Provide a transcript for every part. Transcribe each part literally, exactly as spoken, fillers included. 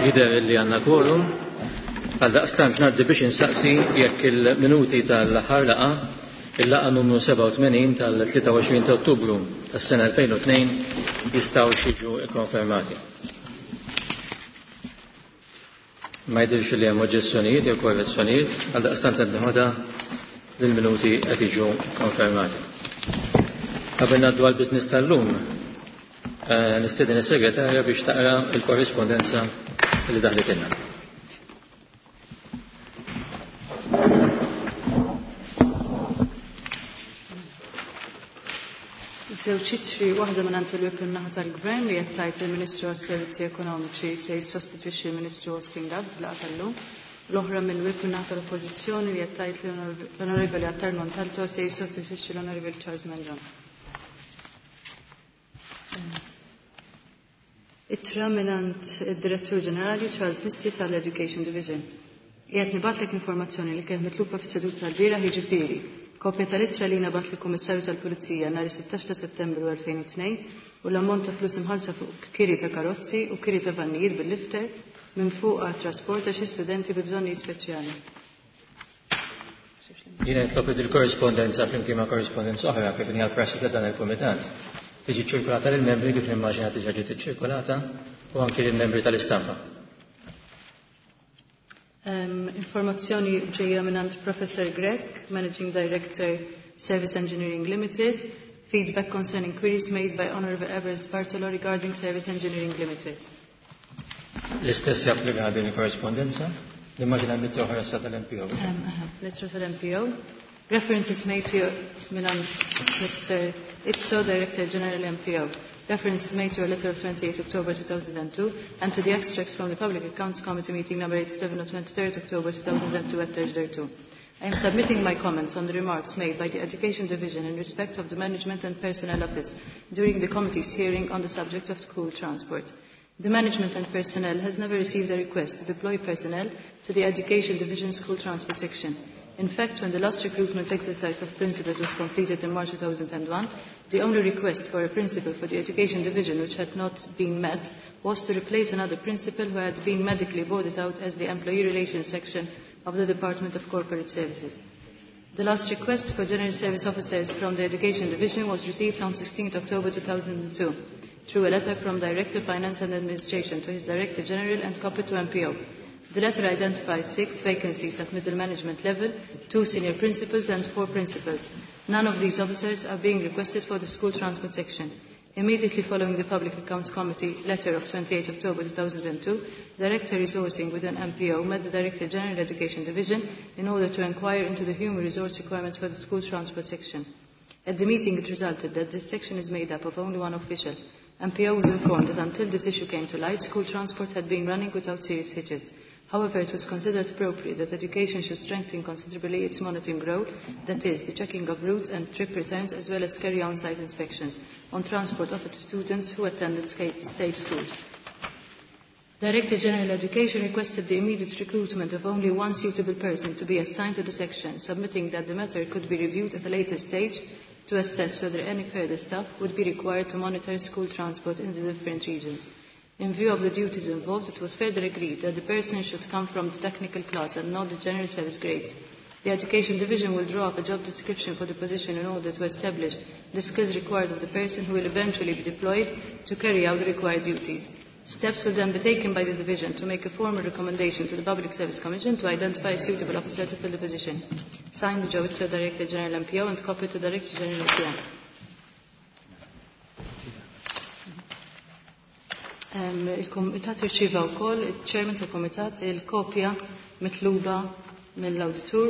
Jidher li għandna quorum. Għaldaqstant ngħaddi biex insaqsi jekk il-minuti tal-aħħar laqgħa, il-laqgħa numru sebgħa u tmenin tal-tlieta u għoxrin ta' Ottubru tas-sena elfejn u tnejn jistgħux jiġu kkonfermati. Ma jidhirx li hemm oġġezzjonijiet jew korrezzjonijiet, għaldaqstant qed neħodha li l-minuti qed jiġu konfermati. Qabel ngħaddu għall-business tal-lum, eh, nistieden is-segretarja biex taqra l-korrispondenza li daħlitilna. Żewġ ittri, waħda minn għand il-Whip in-naħa tal-Gvern li qed tgħid il-Ministru għas-Servizzi Ekonomiċi se jissostitwixxi l-Ministru Austin Gatt fil-laqgħa tal-lum. L-oħra mill-Whip in-naħa tal-Oppożizzjoni li qed tgħid l-Onorevoli Attard Montalto se jissostitwixxi l-Onorevoli Charles Mangion. Ittra minn għand id-Direttur Ġenerali Charles Mizzi tal-Education Division. Qiegħed nibgħatlek informazzjoni li kienet mitluba fis-seduta tal-bieraħ, jiġifieri kopja tal-ittra li nabgħat lill-Kummissarju tal-Pulizija nhar is-sittax ta' Settembru elfejn u tnejn u l-ammont ta' flus imħallsa fuq kiri ta' karozzi u kiri ta' vannijiet bil-lifter minn fuq għat trasport ta' xi studenti bi bżonnijiet speċjali. Jiena nitlob li il-korrispondenza flimkien ma' korrispondenza oħra kif inhi għall-prassi ta' dan il-Kumitat tiġi ċirkolata lill-membri kif nimmaġina diġà ġiet iċċirkolata u anki lill-membri tal-istampa. Um, informazzjoni ġejja minn Professor Grech, Managing Director, Service Engineering Limited. Feedback concerning queries made by Honorable Everest Bartolo regarding Service Engineering Limited. L-istess japplika din il-korrispondenza? Nimmaġina l-ittra oħra sa tal-M P O. Um, aha, l-ittra tal-M P O. References made to minn Mister Izzo, Director General M P O. References made to a letter of twenty-eighth October two thousand and two and to the extracts from the Public Accounts Committee meeting number eighty-seven of twenty-third October two thousand and two at thirty-two. I am submitting my comments on the remarks made by the Education Division in respect of the Management and Personnel Office during the committee's hearing on the subject of school transport. The Management and Personnel has never received a request to deploy personnel to the Education Division School Transport Section. In fact, when the last recruitment exercise of principals was completed in March two thousand and one, the only request for a principal for the Education Division which had not been met was to replace another principal who had been medically boarded out as the Employee Relations Section of the Department of Corporate Services. The last request for General Service Officers from the Education Division was received on sixteenth October two thousand and two through a letter from Director Finance and Administration to his Director General and copied to M P O. The letter identifies six vacancies at middle management level, two senior principals and four principals. None of these officers are being requested for the school transport section. Immediately following the Public Accounts Committee letter of twenty-eighth October two thousand and two, Director Resourcing within M P O met the Director General Education Division in order to inquire into the human resource requirements for the school transport section. At the meeting it resulted that this section is made up of only one official. M P O was informed that until this issue came to light, school transport had been running without serious hitches. However, it was considered appropriate that education should strengthen considerably its monitoring role, that is, the checking of routes and trip returns, as well as carry on site inspections on transport offered to students who attended state schools. Director General Education requested the immediate recruitment of only one suitable person to be assigned to the section, submitting that the matter could be reviewed at a later stage to assess whether any further staff would be required to monitor school transport in the different regions. In view of the duties involved, it was further agreed that the person should come from the technical class and not the general service grades. The Education Division will draw up a job description for the position in order to establish the skills required of the person who will eventually be deployed to carry out the required duties. Steps will then be taken by the division to make a formal recommendation to the Public Service Commission to identify a suitable officer to fill the position. Signed, Joe Izzo, Director General M P O, and copy to Director General M P O. Em, il-Kumitat irċieva wkoll, il-Chairman tal-Kumitat, il-kopja mitluba mill-Awditur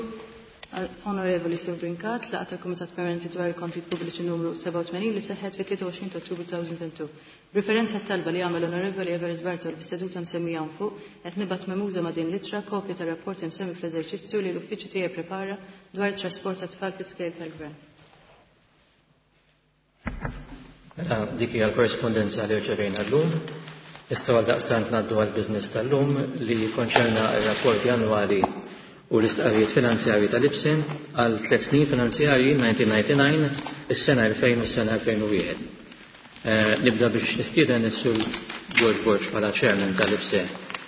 Onorevoli Sur Brincat, laqgħa tal-Kumitat Permanenti dwar il-Kontijiet Pubbliċi numru sebgħa u tmenin li seħħet fit-tlieta u għoxrin ta' Ottubru two thousand and two. B'riferenza għat-talba li għamel Onorevoli Everest Bartolo fis-seduta msemmija hawn fuq, qed nibgħat memuża ma' din l-ittra kopja tar-rapport imsemmi fl-eżerċizzju li l-uffiċċju tiegħi prepara dwar it-trasport tat-tfal fl-iskejjel tal-Gvern. Mela, dik hija l-korrispondenza li rċevejna llum. Nistgħu għaldaqstant ngħaddu għall-business tal-lum li jikkonċerna r-rapporti annwali u l-istqarrijiet finanzjarji tal-I P S E għal tliet snin finanzjarji nineteen ninety-nine, is-sena elfejn u s-sena elfejn u wieħed. Eh, nibda biex nistieden is-Sur George Borg bħala chairman tal-I P S E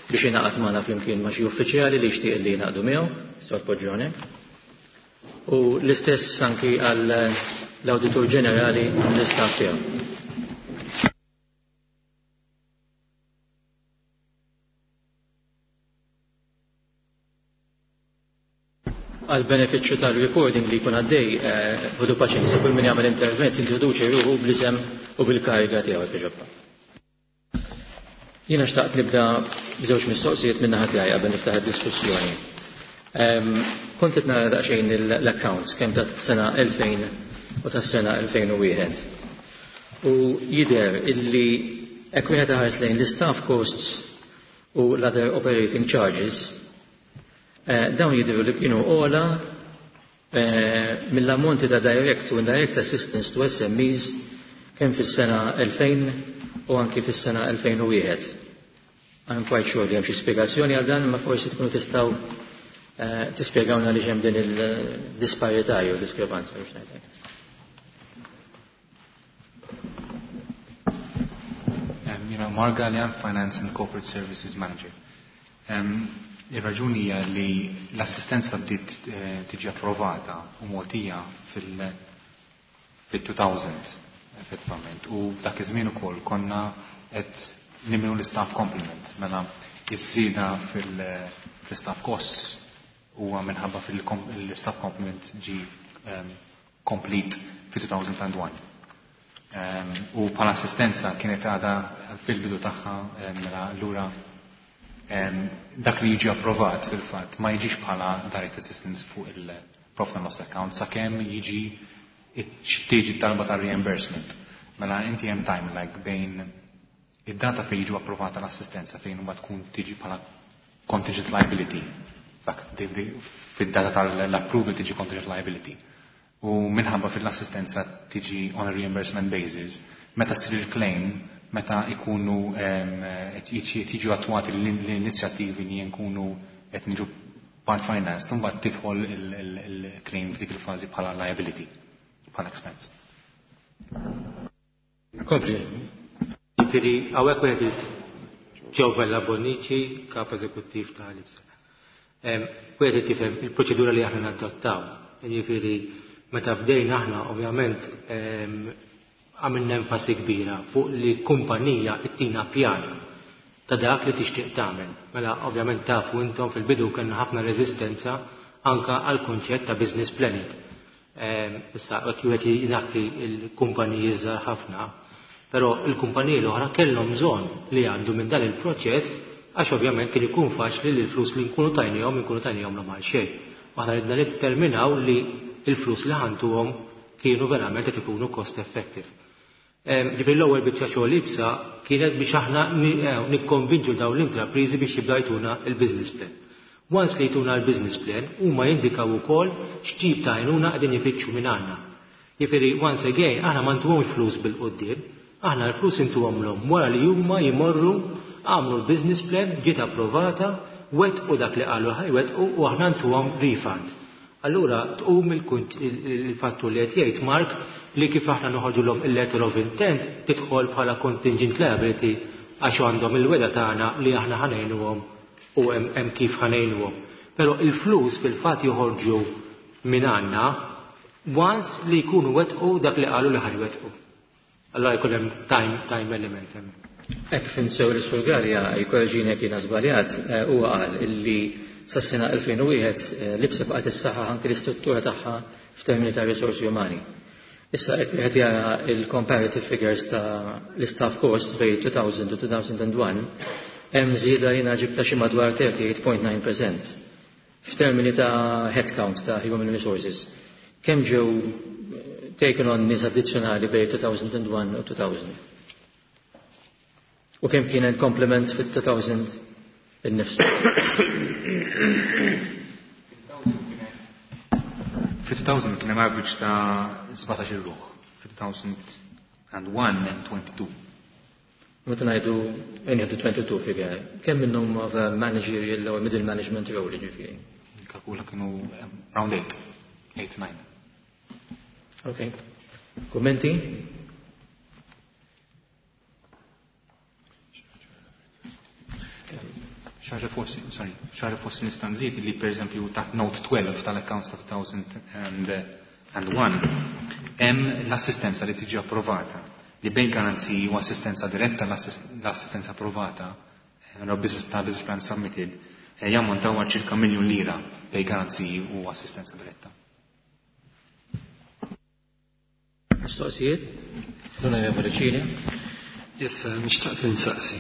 biex jingħaqad magħna flimkien ma' xi uffiċjali li jixtieq li jingħaqdu miegħu, tistgħu tpoġġu hawnhekk. U l-istess anki għal l-Awditur Ġenerali u l-istaff tiegħu. Għal benefiċċju tal-recording li jkun għaddej, ħudu paċenzja, kull min jagħmel intervent introduċi ruħu bl-isem u bil-kariga tiegħu jekk jogħġobha. Jiena xtaqt nibda b'żewġ mistoqsijiet minn naħa tiegħi qabel niftaħ id-diskussjoni. Kont qed nara daqsxejn l-accounts kemm tas-sena elfejn u tas-sena elfejn u wieħed. U jidher illi hekk wieħed iħares lejn l-staff costs u l-other operating charges, dawn jidhru li kienu ogħla mill-ammonti ta' direct u indirect assistance to S M Es kemm fis-sena elfejn u anki fis-sena elfejn u wieħed. I'm quite sure li hemm xi spjegazzjoni għal dan, ma forsi tkunu tistgħu tispjegawna li hemm din il-disparità jew diskrepanza biex ngħidlek. Jiena Mark Gallian, Finance and Corporate Services Manager. Ir-raġuni hija li l-assistenza bdiet tiġi approvata u mogħtija fil-two thousand effettivament, u dak iż-żmien ukoll konna qed nimlu l-istaff complement, mela iż-żieda fil-staff costs huwa minħabba fil-staff complement ġi complete fi two thousand and one. U bħala assistenza kienet għadha fil-bidu tagħha, mela allura dak li jiġi approvat fil-fatt ma jiġix bħala direct assistance fuq il-profit and loss account sakemm jiġi tiġi talba ta' reimbursement. Mela inti hemm time lag bejn id-data fejn jiġu approvata l-assistenza fejn huma tkun tiġi bħala contingent liability. Dak fid-data tal-approval tiġi contingent liability. U minħabba fil-assistenza tiġi on a reimbursement basis, meta ssir il-claim, meta ikunu tiġu attwati l-inizjattivi li nkunu qed niġu part finance, imbagħad tidħol il-claim f'dik il-fażi bħala liability, bħala expense. Kompli. Jiġifieri hawnhekk wieħed Joe Vella Bonnici, kap eżekuttiv ta' l-I B S A. Wieħed tifhem il-proċedura li aħna nadottaw. Jiġifieri meta bdejna aħna ovvjament għamilna enfasi kbira fuq li kumpanija ittina pjan ta' dak li tixtieq tagħmel. Mela ovvjament tafu intom fil-bidu kellna ħafna reżistenza anka għal kunċett ta' business planning. Issa jekk wieħed jingħakki l-kumpaniji żgħar ħafna, però l-kumpaniji l-oħra kellhom bżonn li jgħaddu minn dan il-proċess għax ovvjament kien ikun faċli li l-flus li nkunu tajnihom inkunu tajnihom l għal xejn. Aħna ridna niddeterminaw li l-flus li ħantuhom kienu verament qed ikunu cost effective. Ġifieri l-ewwel biċċa xogħol ibsa kienet biex aħna nikkonvinċu dawn l-intrapriżi biex jibda jtuna l-business plan. Once li jtuna l-business plan, huma jindikaw ukoll x'tip ta' għajnuna qegħdin ifittxu minn għandna. Jiġifieri once again aħna ma ntuhomx flus bil-quddiem, aħna l-flus intuhomlhom wara li huma jmorru għamlu l-business plan, ġiet approvata, wettqu dak li qalu ħajwettqu u aħna ntuhom refund. Allura tqum il-fattu li qed jgħid Mark li kif aħna noħorġulhom il-letter of intent tidħol bħala contingent liability għax għandhom il-weda tagħna li aħna ħanejnuhom u hemm kif ħanejnuhom. Però il-flus fil-fatt joħorġu minn għandna once li jkunu wettqu dak li qalu li ħajwettqu. Allora jkun hemm time, time element hemm. Hekk fhimt sew li Sur Galea jkorreġini jekk jiena żbaljat, huwa qal illi sas-sena elfejn u wieħed l-I B S A baqgħet issaħħaħ anke l-istruttura tagħha f'termini ta' risorsi umani. Issa hekk wieħed jara il-comparative figures ta' l-staff cost bejn two thousand u two thousand and one, hemm żieda li ġibta xi madwar thirty-eight point nine percent f'termini ta' headcount ta' human resources. Kemm ġew taken on nies addizzjonali bejn two thousand and one u two thousand? U kemm kien hemm complement fit-two thousand innifsu? Fi two thousand kien hemm average ta' sbatax-il ruħ. Fi two thousand and one hemm twenty-two. Meta ngħidu ngħidu twenty-two figure, kemm minnhom of a managerial or middle management role jiġifieri? Kalkula kienu round eight, eight, nine. Okay. Kummenti? Xi ħaġa forsi, sorry, xi ħaġa forsi nista' nżid li pereżempju taħt Note twelve tal-accounts ta' two thousand and one hemm l-assistenza li tiġi approvata, li bejn garanziji u assistenza diretta, l-assistenza approvata eh, business ta' business plan submitted eh, jammontaw għal ċirka miljun lira bejn garanziji u assistenza diretta. Mistoqsijiet? L-Onorevoli Cini. Issa, nixtieq insaqsi.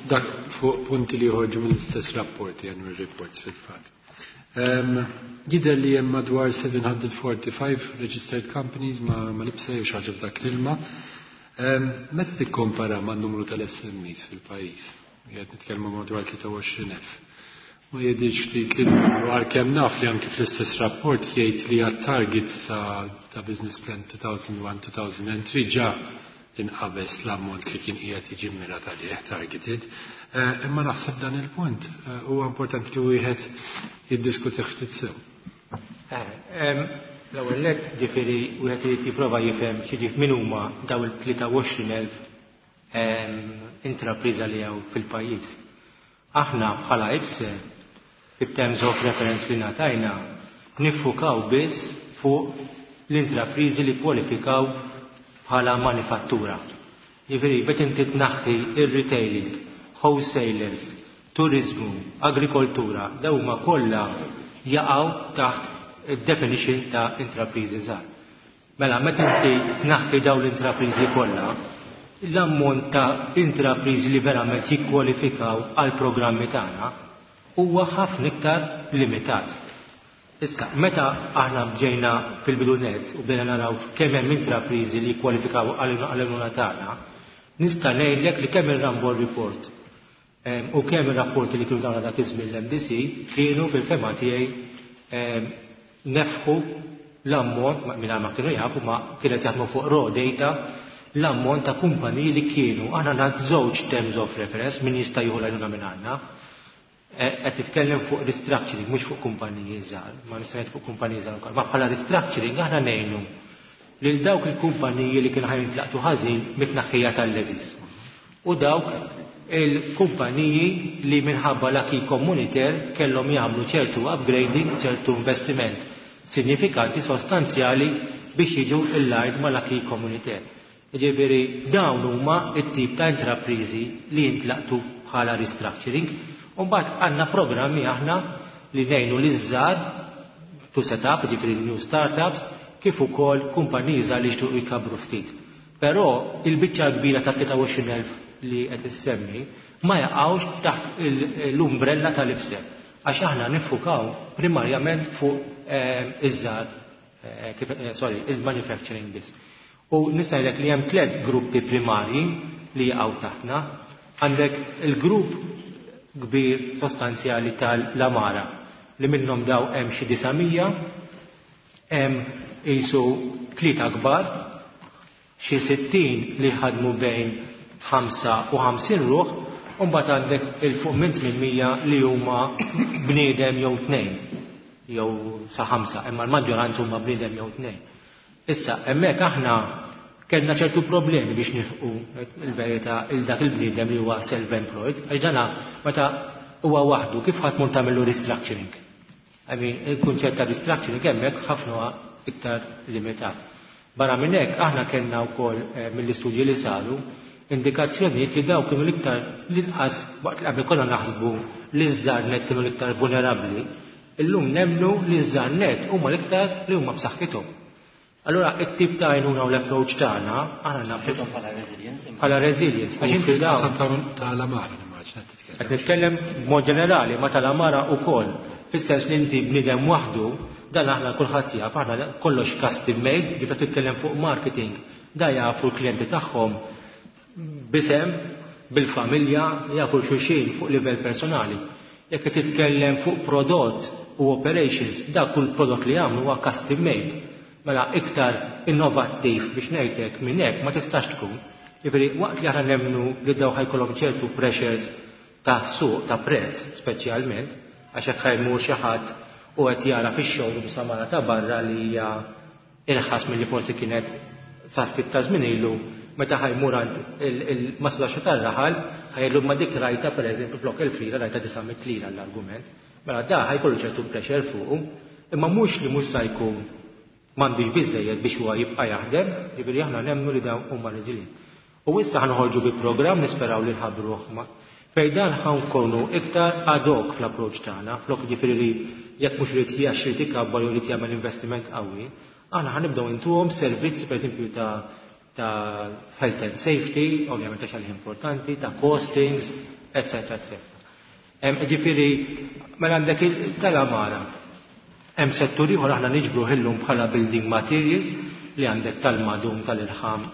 Dak fuq punti li joħorġu mill-istess rapporti, annual reports fil-fatt. Um, Jidher li hemm madwar seven hundred forty-five registered companies ma, ma l-I P S E jew xi ħaġa f'dak l-ilma. Um, meta tikkompara ma' numru tal-S M Es fil-pajjiż, qed nitkellmu madwar tlieta u għoxrin elf. Ma jidhirx ftit li numru, għalkemm naf li anki fl-istess rapport jgħid li għat-target ta', ta business plan two thousand one-two thousand three ġa inqabeż l-ammont li kien qiegħed jiġi mmirat għalih, targeted. Eh, imma naħseb dan il-punt eh, huwa importanti li wieħed jiddiskuti ftit sew. Eh, l-ewwel nett, ġifieri, wieħed irid jipprova jifhem xi min huma daw il-tlieta u għoxrin elf intrapriża li hawn fil-pajjiż. Aħna bħala I P S E, fit-terms of reference li ngħatajna, niffukaw biss fuq l-intrapriżi li kwalifikaw bħala manifattura. Jiġifieri, bet inti tnaħħi il-retailing, wholesalers, turizmu, agrikoltura, daw huma kollha jaqgħu taħt id-definition ta' intrapriżi żgħar. Mela, meta inti tnaħħi daw l-intrapriżi kollha, l-ammont ta' intrapriżi li verament jikkwalifikaw għal programmi tagħna huwa ħafna iktar limitat. Issa, meta aħna ġejna fil-bidu nett u bdejna naraw kemm hemm intrapriżi li jikkwalifikaw għall-għajnuna tagħna, nista' ngħidlek li kemm ir-Ramboll Report u kemm ir-rapporti li kienu tawna dak iż-żmien l-M D C kienu fil-fehma tiegħi nefħu l-ammont, mingħajr ma kienu jafu, ma kienet jaħdmu fuq raw data, l-ammont ta' kumpaniji li kienu. Aħna għandna żewġ terms of reference min jista' jieħu l-għajnuna minn għandna. Qed nitkellem fuq restructuring, mhux fuq kumpaniji żgħar, ma nista' ngħid fuq kumpaniji żgħar ukoll. Ma bħala restructuring aħna ngħinu lil dawk il-kumpaniji li kienu ħa jintlaqtu ħażin mit-tnaħħija tal-levies. U dawk il-kumpaniji li minħabba l-acquis communautaire kellhom jagħmlu ċertu upgrading, ċertu investiment sinifikanti, sostanzjali biex jiġu in line mal-acquis communautaire. Ġifieri dawn huma it-tip ta' intraprizi li jintlaqtu bħala restructuring. Umbagħad għandna programmi aħna li ngħinu liż-żgħar to set up, ġifieri new startups, kif ukoll kumpaniji żgħar li jixtiequ jkabru ftit. Però il-biċċa kbira ta' tlieta u għoxrin elf li qed issemmi ma jaqgħux taħt l-umbrella tal-I P S E. Għax aħna niffukaw primarjament fuq eh, iż-żgħar, eh, eh, sorry, il-manufacturing biss. U nista' ngħidlek li hemm tliet gruppi primarji li jaqgħu taħtna. Għandek il-grupp kbir sostanzjali tal-Amara li minnhom daw hemm xi disa' mija, hemm qisu tlieta kbar, xi sittin li ħadmu bejn ħamsa u ħamsin ruħ, u mbagħad għandek il fuq minn tmien mija li huma bniedem jew tnejn jew sa ħamsa, imma l-maġġoranza huma bniedem jew tnejn. Issa, hemmhekk aħna kellna ċertu problemi biex nilħqu, il-verità, il dak il-bniedem li huwa self-employed, għax dana meta huwa waħdu kif ħadd mur tagħmlu restructuring? I mean, il-kunċett ta' restructuring hemmhekk ħafna iktar limitat. Barra minn hekk, aħna kellna wkoll eh, mill-istudji li saru indikazzjonijiet li daw kienu l-iktar l-inqas, waqt li qabel konna naħsbu li ż-żgħar nett kienu l-iktar vulnerabbli, illum nemmnu li ż-żgħar nett huma l-iktar li huma b'saħħithom. Allura, it-tip ta' għajnuna u l-approach tagħna, aħna Saħħithom bħala resilience. Bħala resilience. Għax inti daw. Tal-Amara nimmaġina titkellem. Qed nitkellem b'mod ġenerali, ma tal-Amara ukoll. Fis-sens li inti bniedem waħdu, dan aħna kulħadd jaf, aħna kollox custom made, ġifieri titkellem fuq marketing, da jafu l-klijenti tagħhom b'isem, bil-familja, jafu xulxin fuq livell personali. Jekk qed titkellem fuq prodott u operations, dak kull prodott li jagħmlu huwa custom made. Mela iktar innovattiv, biex ngħidlek, minn hekk ma tistax tkun. Jiġifieri waqt li aħna nemmnu li daw ħa jkollhom ċertu pressures ta' suq, ta' prezz speċjalment, għax hekk ħa jmur xi ħadd u qed jara fix-showroom samara ta' barra li hija irħas milli forsi kienet sa ftit ta' żmien ilu, meta ħa jmur għand il-maslaxa tar-raħal ħa jgħidlu ma dik rajta pereżempju flok elf lira rajta disa' mitt lira l-argument. Mela da ħa jkollu ċertu pressure fuqu, imma mhux li mhux sa jkun m'għandux biżejjed biex huwa jibqa' jaħdem, ġifieri aħna nemmnu li dawn huma resilient. U issa ħa noħorġu bi programm nisperaw li nħabbruh ma fejn dan ħa nkunu iktar ad hoc fl-approċċ tagħna, flok ġifieri li jekk mhux irid jax irid ikabbar jew irid jagħmel investiment qawwi, aħna ħa nibdew intuhom servizzi pereżempju ta' ta' health and safety, ovvjament għax għalih importanti, ta' costings, eccetera, eccetera. Ġifieri, mela għandek tal-għamara. Hemm settur ieħor aħna niġbru illum bħala building materials li għandek tal-madum, tal-irħam,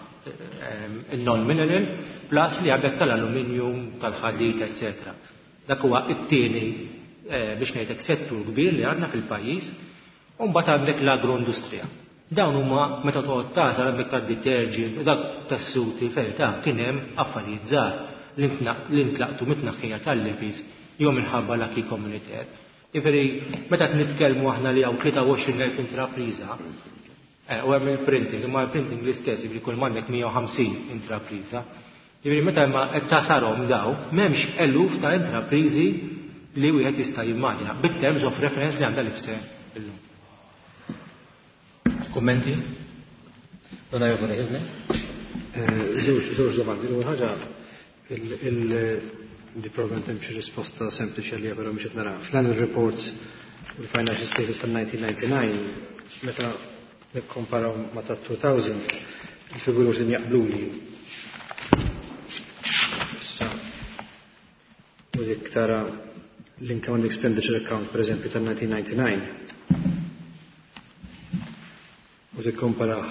il-non-mineral, plus li għandek tal-aluminium, tal-ħadid, eccetera. Dak huwa it-tieni eh, biex ngħidlek settur kbir li għandna fil-pajjiż, u mbagħad għandek l-agroindustrija. Dawn huma meta toqgħod tagħżel għandek tad-detergent u dak tas-suti ferità kien hemm affarijiet żgħar li ntlaqtu mit-tnaħħija tal-levies jew minħabba l-acquis communautaire. Jiġifieri meta qed nitkellmu aħna li hawn tlieta u għoxrin elf intrapriża, eh, u hemm il-printing, imma il-printing l-istess, jiġifieri kull m'għandek mija u ħamsin intrapriża. Jiġifieri meta ma qed tasarhom daw, m'hemmx eluf ta' intrapriżi li wieħed jista' jimmaġina bit-terms of reference li għandha l-IPSE illum. Kummenti? L-Onorevoli Ghisler? Żewġ domandi. L-ewwel ħaġa, li probablement hemm xi risposta sempliċi għalija, però mhux qed nara. Fl-annual report u l-financial statements tal-nineteen ninety-nine, meta nikkomparaw ma' ta' two thousand, il-figuri mhux qegħdin jaqbluli. Issa, u dik tara l-income and expenditure account, per eżempju, tal-nineteen ninety-nine, u tikkomparah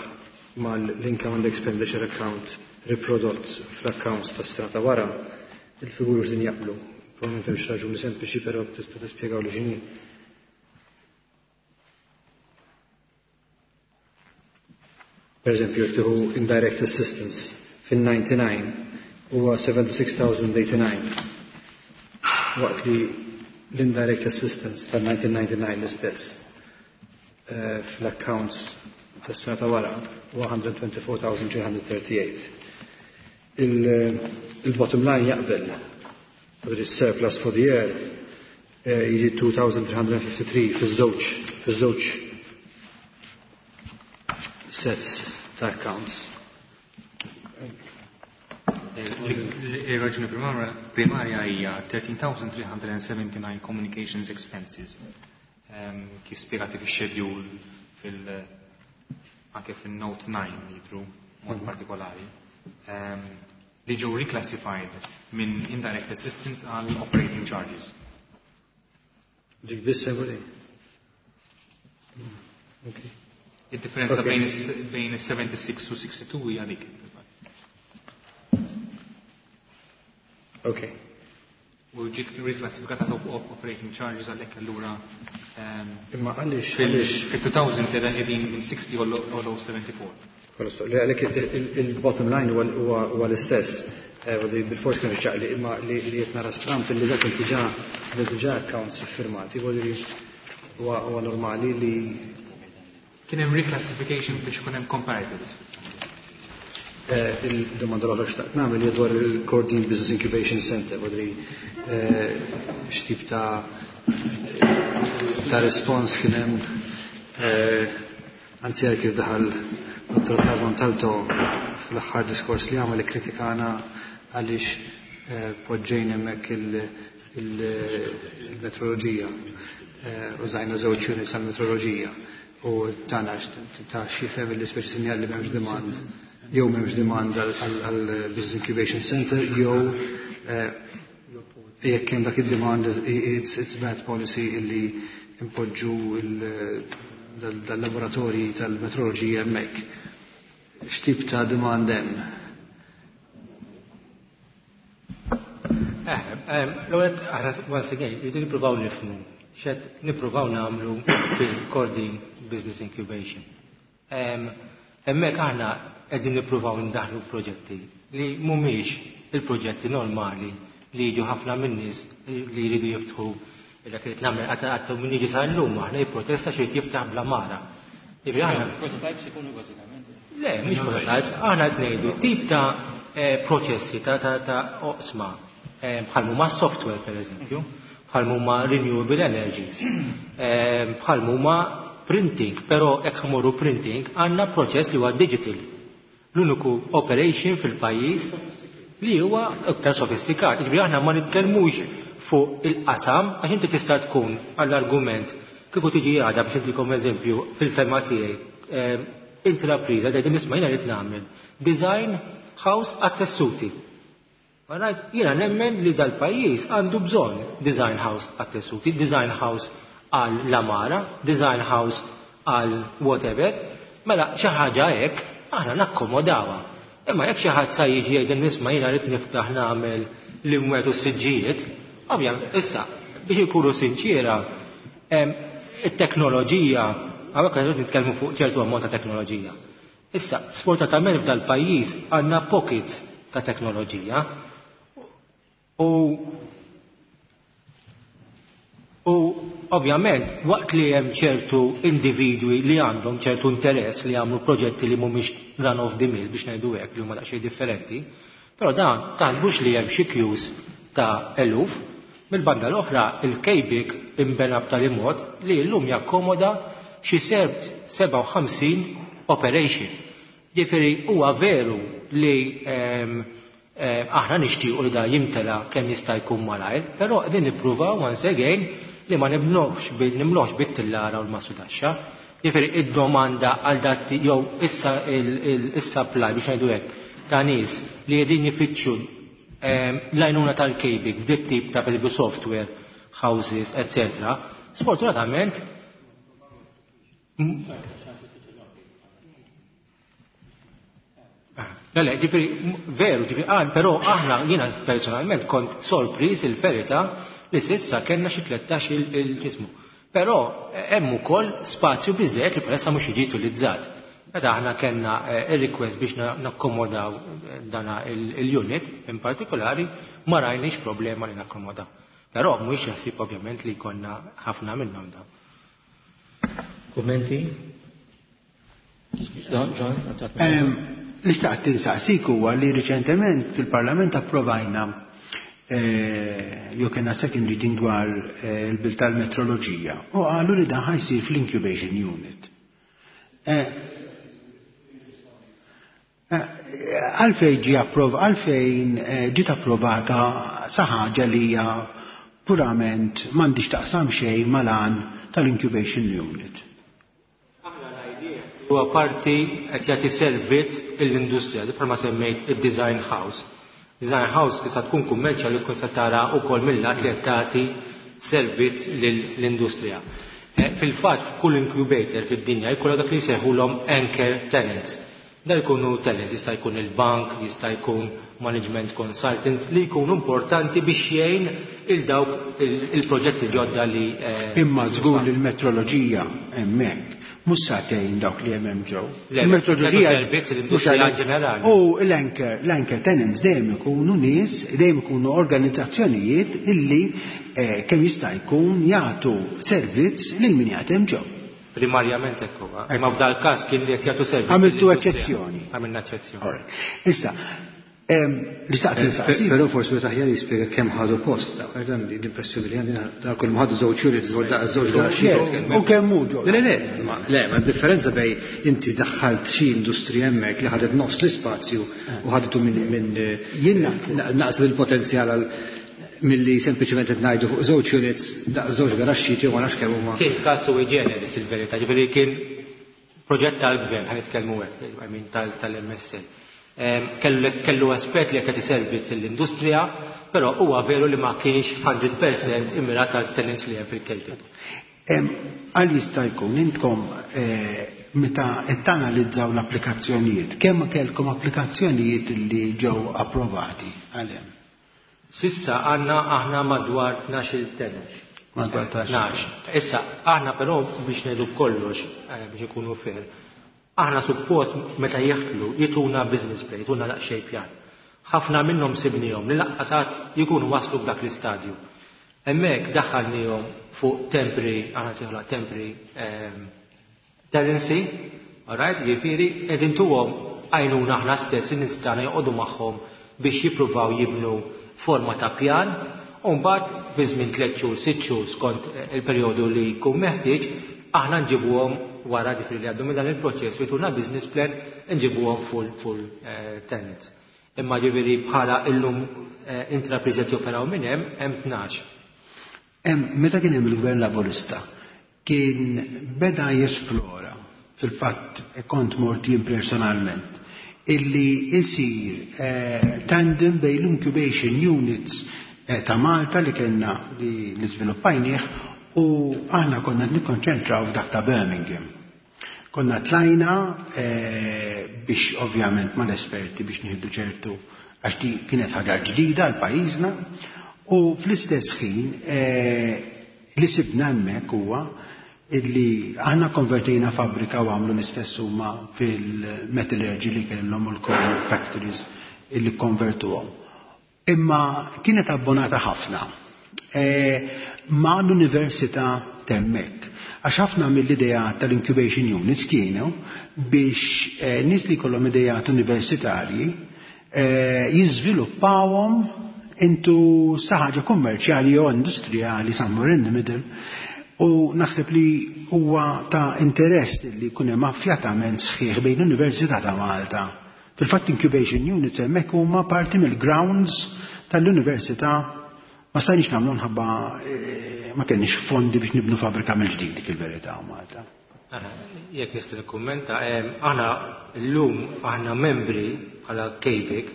mal-income and expenditure account riprodott fl-accounts tas-sena ta' wara, il-figuri mhux qegħdin jaqblu. Probablement hemm xi raġuni sempliċi, però tista' tispjegaw li x'inhi. Per eżempju, jekk tieħu indirect assistance fin-ninety-nine huwa seventy-six thousand eighty-nine, waqt li l-indirect assistance tal-nineteen ninety-nine l-istess, eh, fl-accounts tas-sena ta' wara huwa hundred twenty-four thousand three hundred thirty-eight. Il-bottom line jaqbel, il-surplus for the year, eh, jiġi two thousand three hundred fifty-three fiż-żewġ, fiż-żewġ sets ta' accounts. Il-raġuni primarja hija thirteen thousand three hundred seventy-nine communications expenses, ehm, kif spjegati fix-schedule fil-, anke fil-note nine jidru mod Mhm. partikolari, ehm, li ġew reclassified minn indirect assistance għal operating charges. Dik biss għoli? Okay. Il-differenza Okay. bejn is-, bejn is-seventy-six u sixty-two hija dik. Okay. U ġiet riklassifikata ta' op-, operating charges għalhekk allura, ehm, Imma għaliex, fil- għaliex? fil-two thousand qegħdin qegħdin minn sixty u l-, seventy-four. Kollox, li għalhekk il-, il-, il-bottom line huwa, huwa, huwa l-istess. Eh, voglio dire, bil-fors kienu ċaqli, imma li, li qed nara stramp li dak diġà, diġà accounts iffirmati, voglio dire, huwa, huwa normali li kien hemm reclassification biex ikun hemm comparatives. Eh, il-domanda l-oħra xtaqt nagħmel hija dwar il-Kordin Business Incubation Center, voglio dire, eh, x'tip ta', ta' respons kien hemm, eh, anzi għal kif daħal Dottor Ottavio Montalto fl-aħħar diskors li għamel kritikana għaliex, eh, poġġejn hemmhekk il-, il-, il-metroloġija, eh, użajna żewġ units għall-metroloġija u tana ta' xi fem li speċi sinjal li m'hemmx demand, jew m'hemmx demand għal Business Incubation Center, jew, eh, jekk hemm dak id-demand, it's, it's bad policy illi impoġġu il-, dal-laboratorji tal-metroloġija hemmhekk. X'tip ta' demand hemm? Eh, ehm, l-ewwel aħna once again rridu nippruvaw nifhmu x'qed nippruvaw nagħmlu fil-Kordin Business Incubation. Ehm, hemmhekk aħna qegħdin nippruvaw ndaħlu proġetti li mhumiex il-proġetti normali li jiġu ħafna min-nies li jridu jiftħu dak li nagħmel qatt qatt min jiġi sa llum aħna jipprotesta xi jrid jiftaħ bla mara. Prototypes ikunu bażikament. Le, mhix prototypes, aħna qed ngħidu tip ta' proċessi ta' ta' oqsma bħal huma software pereżempju, bħal huma renewable energies, bħal huma printing, però jekk ħmorru printing għandna proċess li huwa digital. L-uniku operation fil-pajjiż li huwa iktar sofistikat. Jiġifieri aħna ma nitkellmux fuq il-qasam għax inti tista' tkun għall-argument kieku tiġi għada biex intikom eżempju fil-fema tiegħi intrapriża tgħid nisma' jiena rid nagħmel design house għat-tessuti. Alright, jiena nemmen li dal-pajjiż għandu bżonn design house għat-tessuti, design house għal l-amara, design house għal whatever, mela xi ħaġa hekk aħna nakkomodawha. Imma jekk xi ħadd sa jiġi jgħid nisma' jiena rid niftaħ nagħmel l-imwet u s-siġġijiet, ovvjament issa biex inkunu sinċiera, it-teknoloġija, hawnhekk qed nitkellmu fuq ċertu ammont ta' teknoloġija. Issa, sfortunatament f'dal pajjiż għandna pockets ta' teknoloġija u u ovvjament waqt li hemm ċertu individwi li għandhom ċertu interess li jagħmlu proġetti li mhumiex run of the mill biex ngħidu hekk li huma daqsxejn differenti, però dan taħsbux li hemm xi queues ta' eluf. Mill-banda l-oħra il-K B I C imbena b'tali mod li llum jakkomoda xi sebgħa u ħamsin operation. Ġifieri huwa veru li aħna nixtiequ li da jimtela kemm jista' jkun malajr, però qegħdin nippruvaw once again li ma nibnux nimlux bit-tillara u l-massu taxxa. Ġifieri id-domanda għal dat jew issa il-supply biex ngħidu hekk ta' nies li qegħdin jifittxu l-għajnuna tal-K B I C f'dit tip ta' pereżempju software houses, et cetera. Sfortunatament Le, le, ġifieri, veru, ġifieri, għal, però aħna, jiena personalment kont sorpriż il-verità li s'issa kellna xi tlettax il-ġismu. Però hemm ukoll spazju biżżejjed li bħalissa mhux jiġi utilizzat. Meta aħna kellna il-request biex nakkomodaw dana il-unit in partikolari, ma rajniex problema li nakkomodaw. Però mhuwiex jaħsib ovvjament li jkollna ħafna minnhom dawn. Kummenti? John? Li xtaqt insaqsik huwa li riċentement fil-Parlament approvajna jew kellna second reading dwar il-bill tal-metroloġija u qalu li dan ħa jsir fl-incubation unit. Għalfejn ġi approv, għalfejn ġiet approvata sa ħaġa li hija purament m'għandix taqsam xejn mal-għan tal-incubation unit. Huwa parti qed jagħti servizz l-industrija, di bħalma semmejt id-design house. Design house tista' tkun kummerċjali tkun se tara wkoll mill-lat li qed tagħti servizz lill-industrija. Fil-fatt f'kull incubator fid-dinja jkollha dak li jsejħulhom anchor tenants. Da jkunu tenants, jista' jkun il-bank, jista' jkun management consultants li jkunu importanti biex jgħin il dawk il-proġetti ġodda li Imma żgur li l-metroloġija hemmhekk mhux sagħtejn dawk li hemm ġew. Il-metroloġija servizz l-industrija ġenerali. U l-anchor, l-anchor tenants dejjem ikunu nies, dejjem ikunu organizzazzjonijiet illi kemm jista' jkun jagħtu servizz lil min jagħtem ġew. Primarjament hekk huwa. Imma f'dal każ kien li qed jagħtu servizz. Għamiltu eċċezzjoni. Għamilna eċċezzjoni. Issa, li xtaqt insaqsi. Però forsi meta aħjar jispjega kemm ħadu post, l-impressjoni li għandi dak kull ħadu żewġ units, żewġ garaxxijiet. U kemm hu ġol. Le, le, le, ma differenza bej inti daħħalt xi industrija hemmhekk li ħadet nofs l-ispazju u ħadetu minn Jien naqs il-potenzjal għal milli sempliċement qed ngħidu fuq żewġ units daq żewġ garaxxijiet jew ma nafx kemm huma. Kien każ sui generis il-verità, ġifieri kien proġett tal-gvern, ħa nitkellmu hekk, I mean tal-M S L. Kellu kellu aspett li qed jagħti servizz l-industrija, però huwa veru li ma kienx mija fil-mija immirat għal tenants li hemm fil-K B I C. Għal jista' jkun intkom meta qed tanalizzaw l-applikazzjonijiet, kemm kellkom applikazzjonijiet li ġew approvati għalhemm? S'issa għandna aħna madwar tnax-il tenant. Madwar tnax. Issa, aħna però biex ngħidu kollox, biex ikunu fair, aħna suppost meta jeħtlu jituna business plan, jituna daqsxejn pjan. Ħafna minnhom sibnihom li laqqasat jkunu waslu f'dak l-istadju. Hemmhekk daħħalnihom fuq temporary, aħna sejħula temporary Tenancy, alright, jiġifieri qegħdin intuhom għajnuna aħna stess in-nies tagħna joqogħdu magħhom biex jippruvaw jibnu forma ta' pjan, u mbagħad fi żmien tliet xhur, sitt xhur skont il-perjodu li jkun meħtieġ, aħna nġibuhom wara, ġifieri li għaddu minn dan il-proċess u jtuna business plan, nġibuhom full full eh, tenants. Imma ġifieri bħala illum eh, intrapriżi qed joperaw minn hemm hemm tnax. Meta kien hemm il-Gvern Laburista kien beda jesplora, fil-fatt kont mort jien personalment, illi isir eh, tandem bejn l-incubation units eh, ta' Malta li kellna li, li żviluppajnieh u aħna konna nikkonċentraw f'dak ta' Birmingham. Konna tlajna eh, biex ovvjament mal-esperti biex nieħdu ċertu, għax di kienet ħaġa ġdida għal pajjiżna, u fl-istess ħin eh, li sibna hemmhekk huwa illi aħna konvertejna fabbrika u għamlu l-istess huma fil-metallurgy li kellhom u l-coal factories illi konvertuhom. Imma kienet abbonata ħafna e, ma' l-università t'hemmhekk. Għax ħafna mill-idea tal-incubation units kienu biex e, nies li kollhom idejat universitarji e, jiżviluppawhom into xi ħaġa kummerċjali jew industrijali somewhere in the middle. U naħseb li huwa ta' interess li jkun hemm affjatament sħiħ bejn l-Università ta' Malta. Fil-fatt incubation units hemmhekk huma parti mill-grounds tal-Università. Ma stajniex nagħmlu nħabba eh, ma kenniex fondi biex nibnu fabbrika mill-ġdid, dik il-verità, Malta. Jekk nista' nikkummenta, aħna llum aħna membri bħala K B I C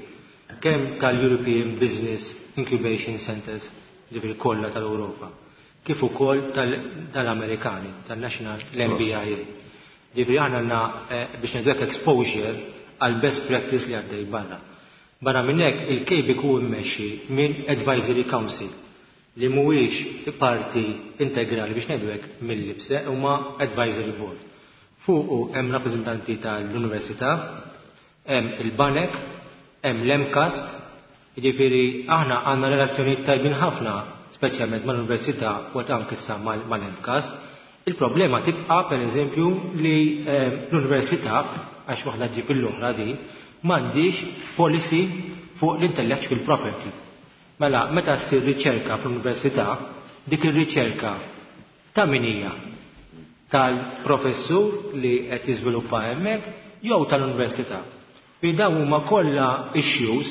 kemm tal-European Business Incubation Centers, ġifieri kollha tal-Ewropa, kif ukoll tal-Amerikani, tal-National l-N B I A. Ġifieri aħna għandna eh, biex ngħidu exposure għal best practice li għaddej barra. Barra minn hekk, il-K B I C hu mmexxi minn Advisory Council li mhuwiex parti integrali biex ngħidu hekk mill-I P S E, huma advisory board. Fuqu hemm rappreżentanti tal-Università, hemm il-Banek, hemm l-MCAST, jiġifieri aħna għandna relazzjonijiet tajbin ħafna, speċjalment mal-Università u anke issa mal-MCAST. Il-problema tibqa', per eżempju, li eh, l-Università, għax waħda ġib l-oħra din, m'għandix policy fuq l-intellectual property. Mela, meta ssir riċerka fl-università, dik ir-riċerka ta' min hija? Tal-professur li qed jiżviluppa hemmhekk jew tal-università? Bi dawn huma kollha issues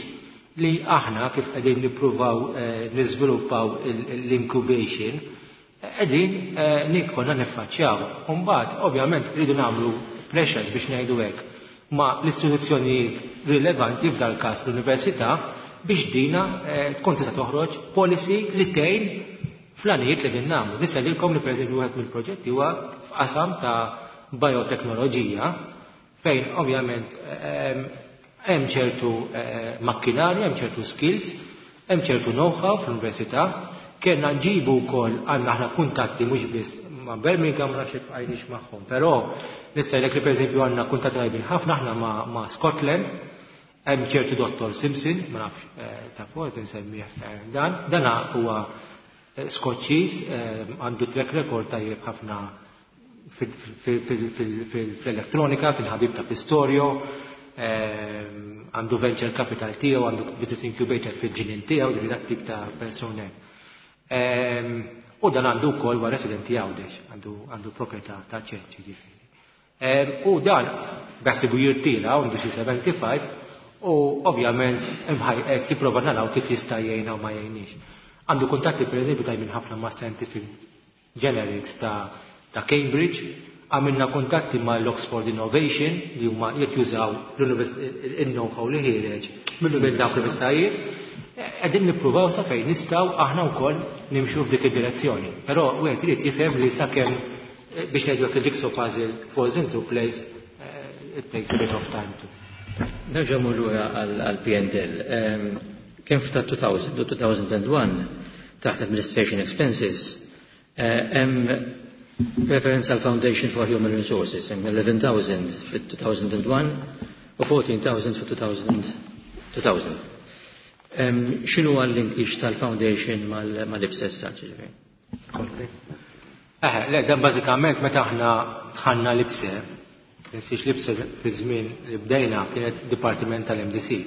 li aħna kif qegħdin nippruvaw eh, niżviluppaw l-incubation qegħdin eh, nikonna niffaċċjaw. Imbagħad ovvjament rridu nagħmlu pressures biex ngħidu hekk ma' l-istituzzjonijiet rilevanti, f'dal każ l-università, biex dina eh, tkun tista' toħroġ policy li tgħin fl-għanijiet li din nagħmlu. Nista' li pereżempju wieħed mill-proġetti huwa f'qasam ta' bioteknoloġija fejn ovvjament hemm ċertu eh, makkinarju, hemm ċertu skills, hemm ċertu know-how fl-università. Kellna nġibu wkoll, għandna aħna kuntatti mhux biss ma' Birmingham, ma nafx għajniex magħhom, però nista' ngħidlek li pereżempju għandna kuntatti tajbin ħafna aħna ma' Scotland, hemm ċertu Dottor Simpson, ma nafx eh, ta' fuq insemmih eh, dan, dana huwa Skoċċiż, għandu track record tajjeb ħafna fil-elettronika, kien ħabib ta' Pistorio, għandu venture capital tiegħu, għandu business incubator fil-ġinien tiegħu, ġifieri dak tip ta' persune. U dan għandu wkoll huwa residenti Għawdex, għandu proprjetà ta' ċenċi ġifieri. U dan beħsibu jirtira, għandu xi sebgħa u sebgħin, u ovvjament imħaj qed jipprova naraw kif jista' jgħinna u ma jgħinix. Għandu kuntatti pereżempju tajbin ħafna ma' Scientific Generics ta' ta' Cambridge, għamilna kuntatti ma' l-Oxford Innovation li huma jekk jużaw il-know-how li ħiereġ minn dawk l-universitajiet. Qegħdin nippruvaw sa fejn nistgħu aħna wkoll nimxu f'dik id-direzzjoni. Però wieħed irid jifhem li sakemm eh, biex ngħidu hekk il-jigsaw puzzle falls into place, eh, it takes a bit of time to. Nerġa' mmur lura għal P and L. Kien f'ta' elfejn u elfejn u wieħed taħt administration expenses eh, hemm reference għal Foundation for Human Resources, hemm elfu u għaxart elef fit-elfejn u wieħed u erbatax-il elf fit-elfejn. X'inhu għall-linkage tal-Foundation mal-I P S E ġifieri? Eh, le, dan bażikament meta aħna dħalna l-I P S E, tinsiex l-I P S E fi żmien li bdejna kienet Dipartiment tal-M D C.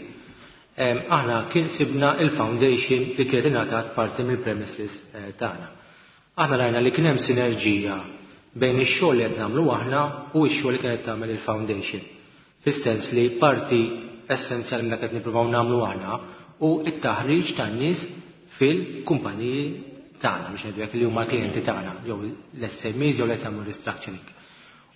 Aħna kien sibna il-foundation li kienet ingħatat parti mill-premises eh, tagħna. Aħna rajna li kien hemm sinerġija bejn ix-xogħol li qed nagħmlu aħna u x-xogħol li kienet tagħmel il-foundation. Fis-sens li parti essenzjali minn dak qed nippruvaw nagħmlu aħna u t-taħriġ tan-nies fil-kumpaniji tagħna, biex ngħidu li huma klijenti tagħna, jew l-S M Es jew li qed jagħmlu restructuring.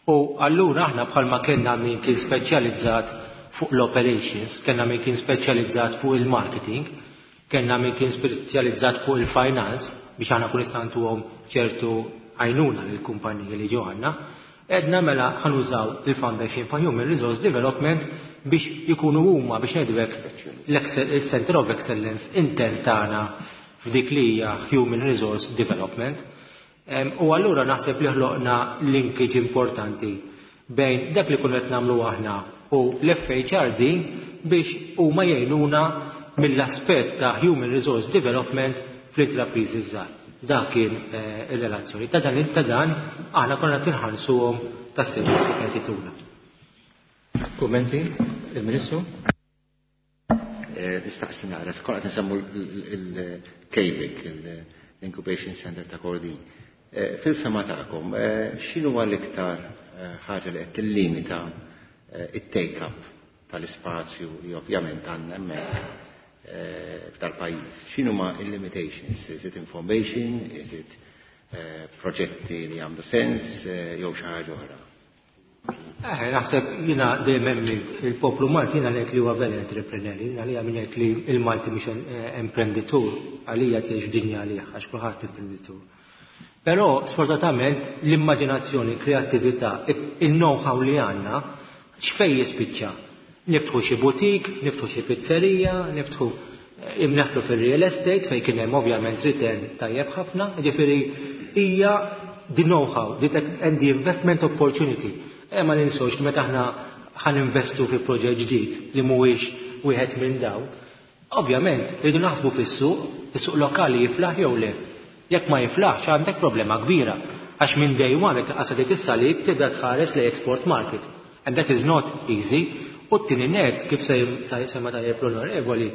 U allura aħna bħalma kellna min kien speċjalizzat fuq l-operations, kellna min kien speċjalizzat fuq il-marketing, kellna min kien speċjalizzat fuq il-finance biex aħna kun nistgħu ċertu għajnuna lill-kumpaniji li ġew għandna, għedna mela ħa nużaw il-Foundation for Human Resource Development biex jikunu huma, biex ngħidu, il-Center of Excellence intern tagħna f'dik li hija Human Resource Development. U allura naħseb li ħloqna linkage importanti bejn dak li konna qed nagħmlu aħna u l-F H R D biex huma jgħinuna mill-aspett ta' Human Resource Development fl-intrapriżi żgħar. Dak kien eh, ir-relazzjoni. Ta' dan ta' dan aħna konna tinħallsuhom tas-servizzi li kienet jtuna. Kummenti, il-Ministru? Eh, nistaqsi naqra, kollha nsemmu il-K V I C, l-Incubation Center ta' Kordin. Eh, fil-fehma tagħkom, x'inhu l-iktar ħaġa li qed tillimita it-take-up tal-ispazju li ovvjament għandna hemmhekk f'dal-pajjiż? X'inhuma il-limitations? Is it information? Is it proġetti li jagħmlu sens jew xi ħaġa oħra? Eh, naħseb jiena dejjem il-poplu Malti, jiena ngħid li huwa very entrepreneur, jiena li ngħid li il-Malti mhux imprenditur, għalija tgħix dinja għalih għax kulħadd imprenditur. Però sfortunatament l-immaġinazzjoni, kreattività, il-know-how li għandna x'fejn jispiċċa? Niftħu xi butik, niftħu xi pizzerija, niftħu imneħlu fil-real estate fejn kien hemm ovvjament return tajjeb ħafna, ġifieri hija the know-how and the investment opportunity. E ma ninsewx li meta aħna ħa ninvestu fi proġett ġdid li mhuwiex wieħed minn daw, ovvjament rridu naħsbu fis-suq, is-suq lokali jiflaħ jew le. Jekk ma jiflaħx, għandek problema kbira. Għax minn day one qed qasad is-salib tibda tħares le export market. And that is not easy. U t-tieni net, kif se semma tajjeb l-onorevoli,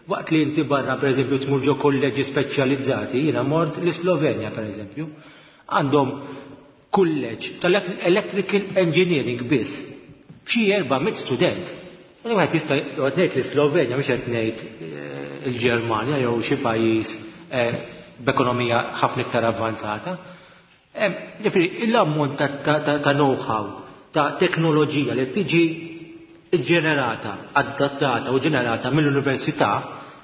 waqt li inti barra, per eżempju, tmur ġo kolleġi speċjalizzati, jiena mort l-Slovenja, per eżempju, għandhom kulleġġ tal-electrical engineering biss, b'xi erba' mit student. Wieħed jista' qed ngħid l-Slovenja, mhux qed ngħid eh, il-Ġermanja jew xi pajjiż eh, b'ekonomija ħafna iktar avvanzata. Ġifieri l-ammont ta' know-how, ta' teknoloġija li tiġi ġenerata, adattata u ġenerata mill-università,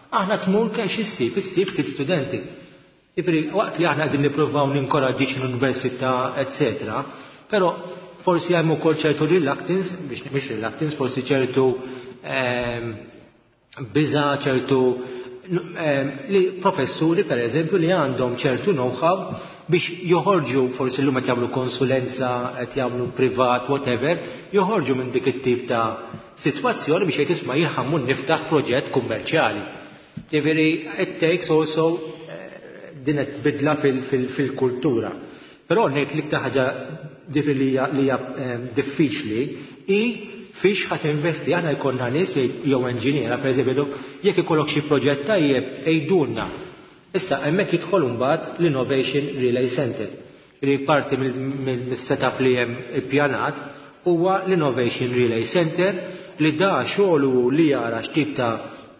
aħna tmur kemm issib, issib ftit studenti. Ġifieri, waqt li aħna qegħdin nippruvaw ninkoraġġix l-università, eccetera, però forsi hemm ukoll ċertu reluctance, biex mhux reluctance, forsi ċertu ehm, biża, ċertu ehm, li professuri, per eżempju, li għandhom ċertu know-how biex joħorġu, forsi l-lum qed jagħmlu konsulenza, qed jagħmlu privat, whatever, joħorġu minn dik it-tip ta' sitwazzjoni biex jgħid, "Isma', jien ħa mmur niftaħ proġett kummerċjali." Ġifieri it takes also din bidla fil-kultura. Però ngħid l-iktar ħaġa li hija ehm, diffiċli hi fiex ħa tinvesti. Aħna jkollna nies jew enġiniera, pereżempju, jekk ikollok xi proġett tajjeb, għidulna. Issa hemmhekk jidħol mbagħad l-Innovation Relay Center, li parti mill-setup li hemm ippjanat huwa l-Innovation Relay Center, li da xogħlu li jara x'tip ta'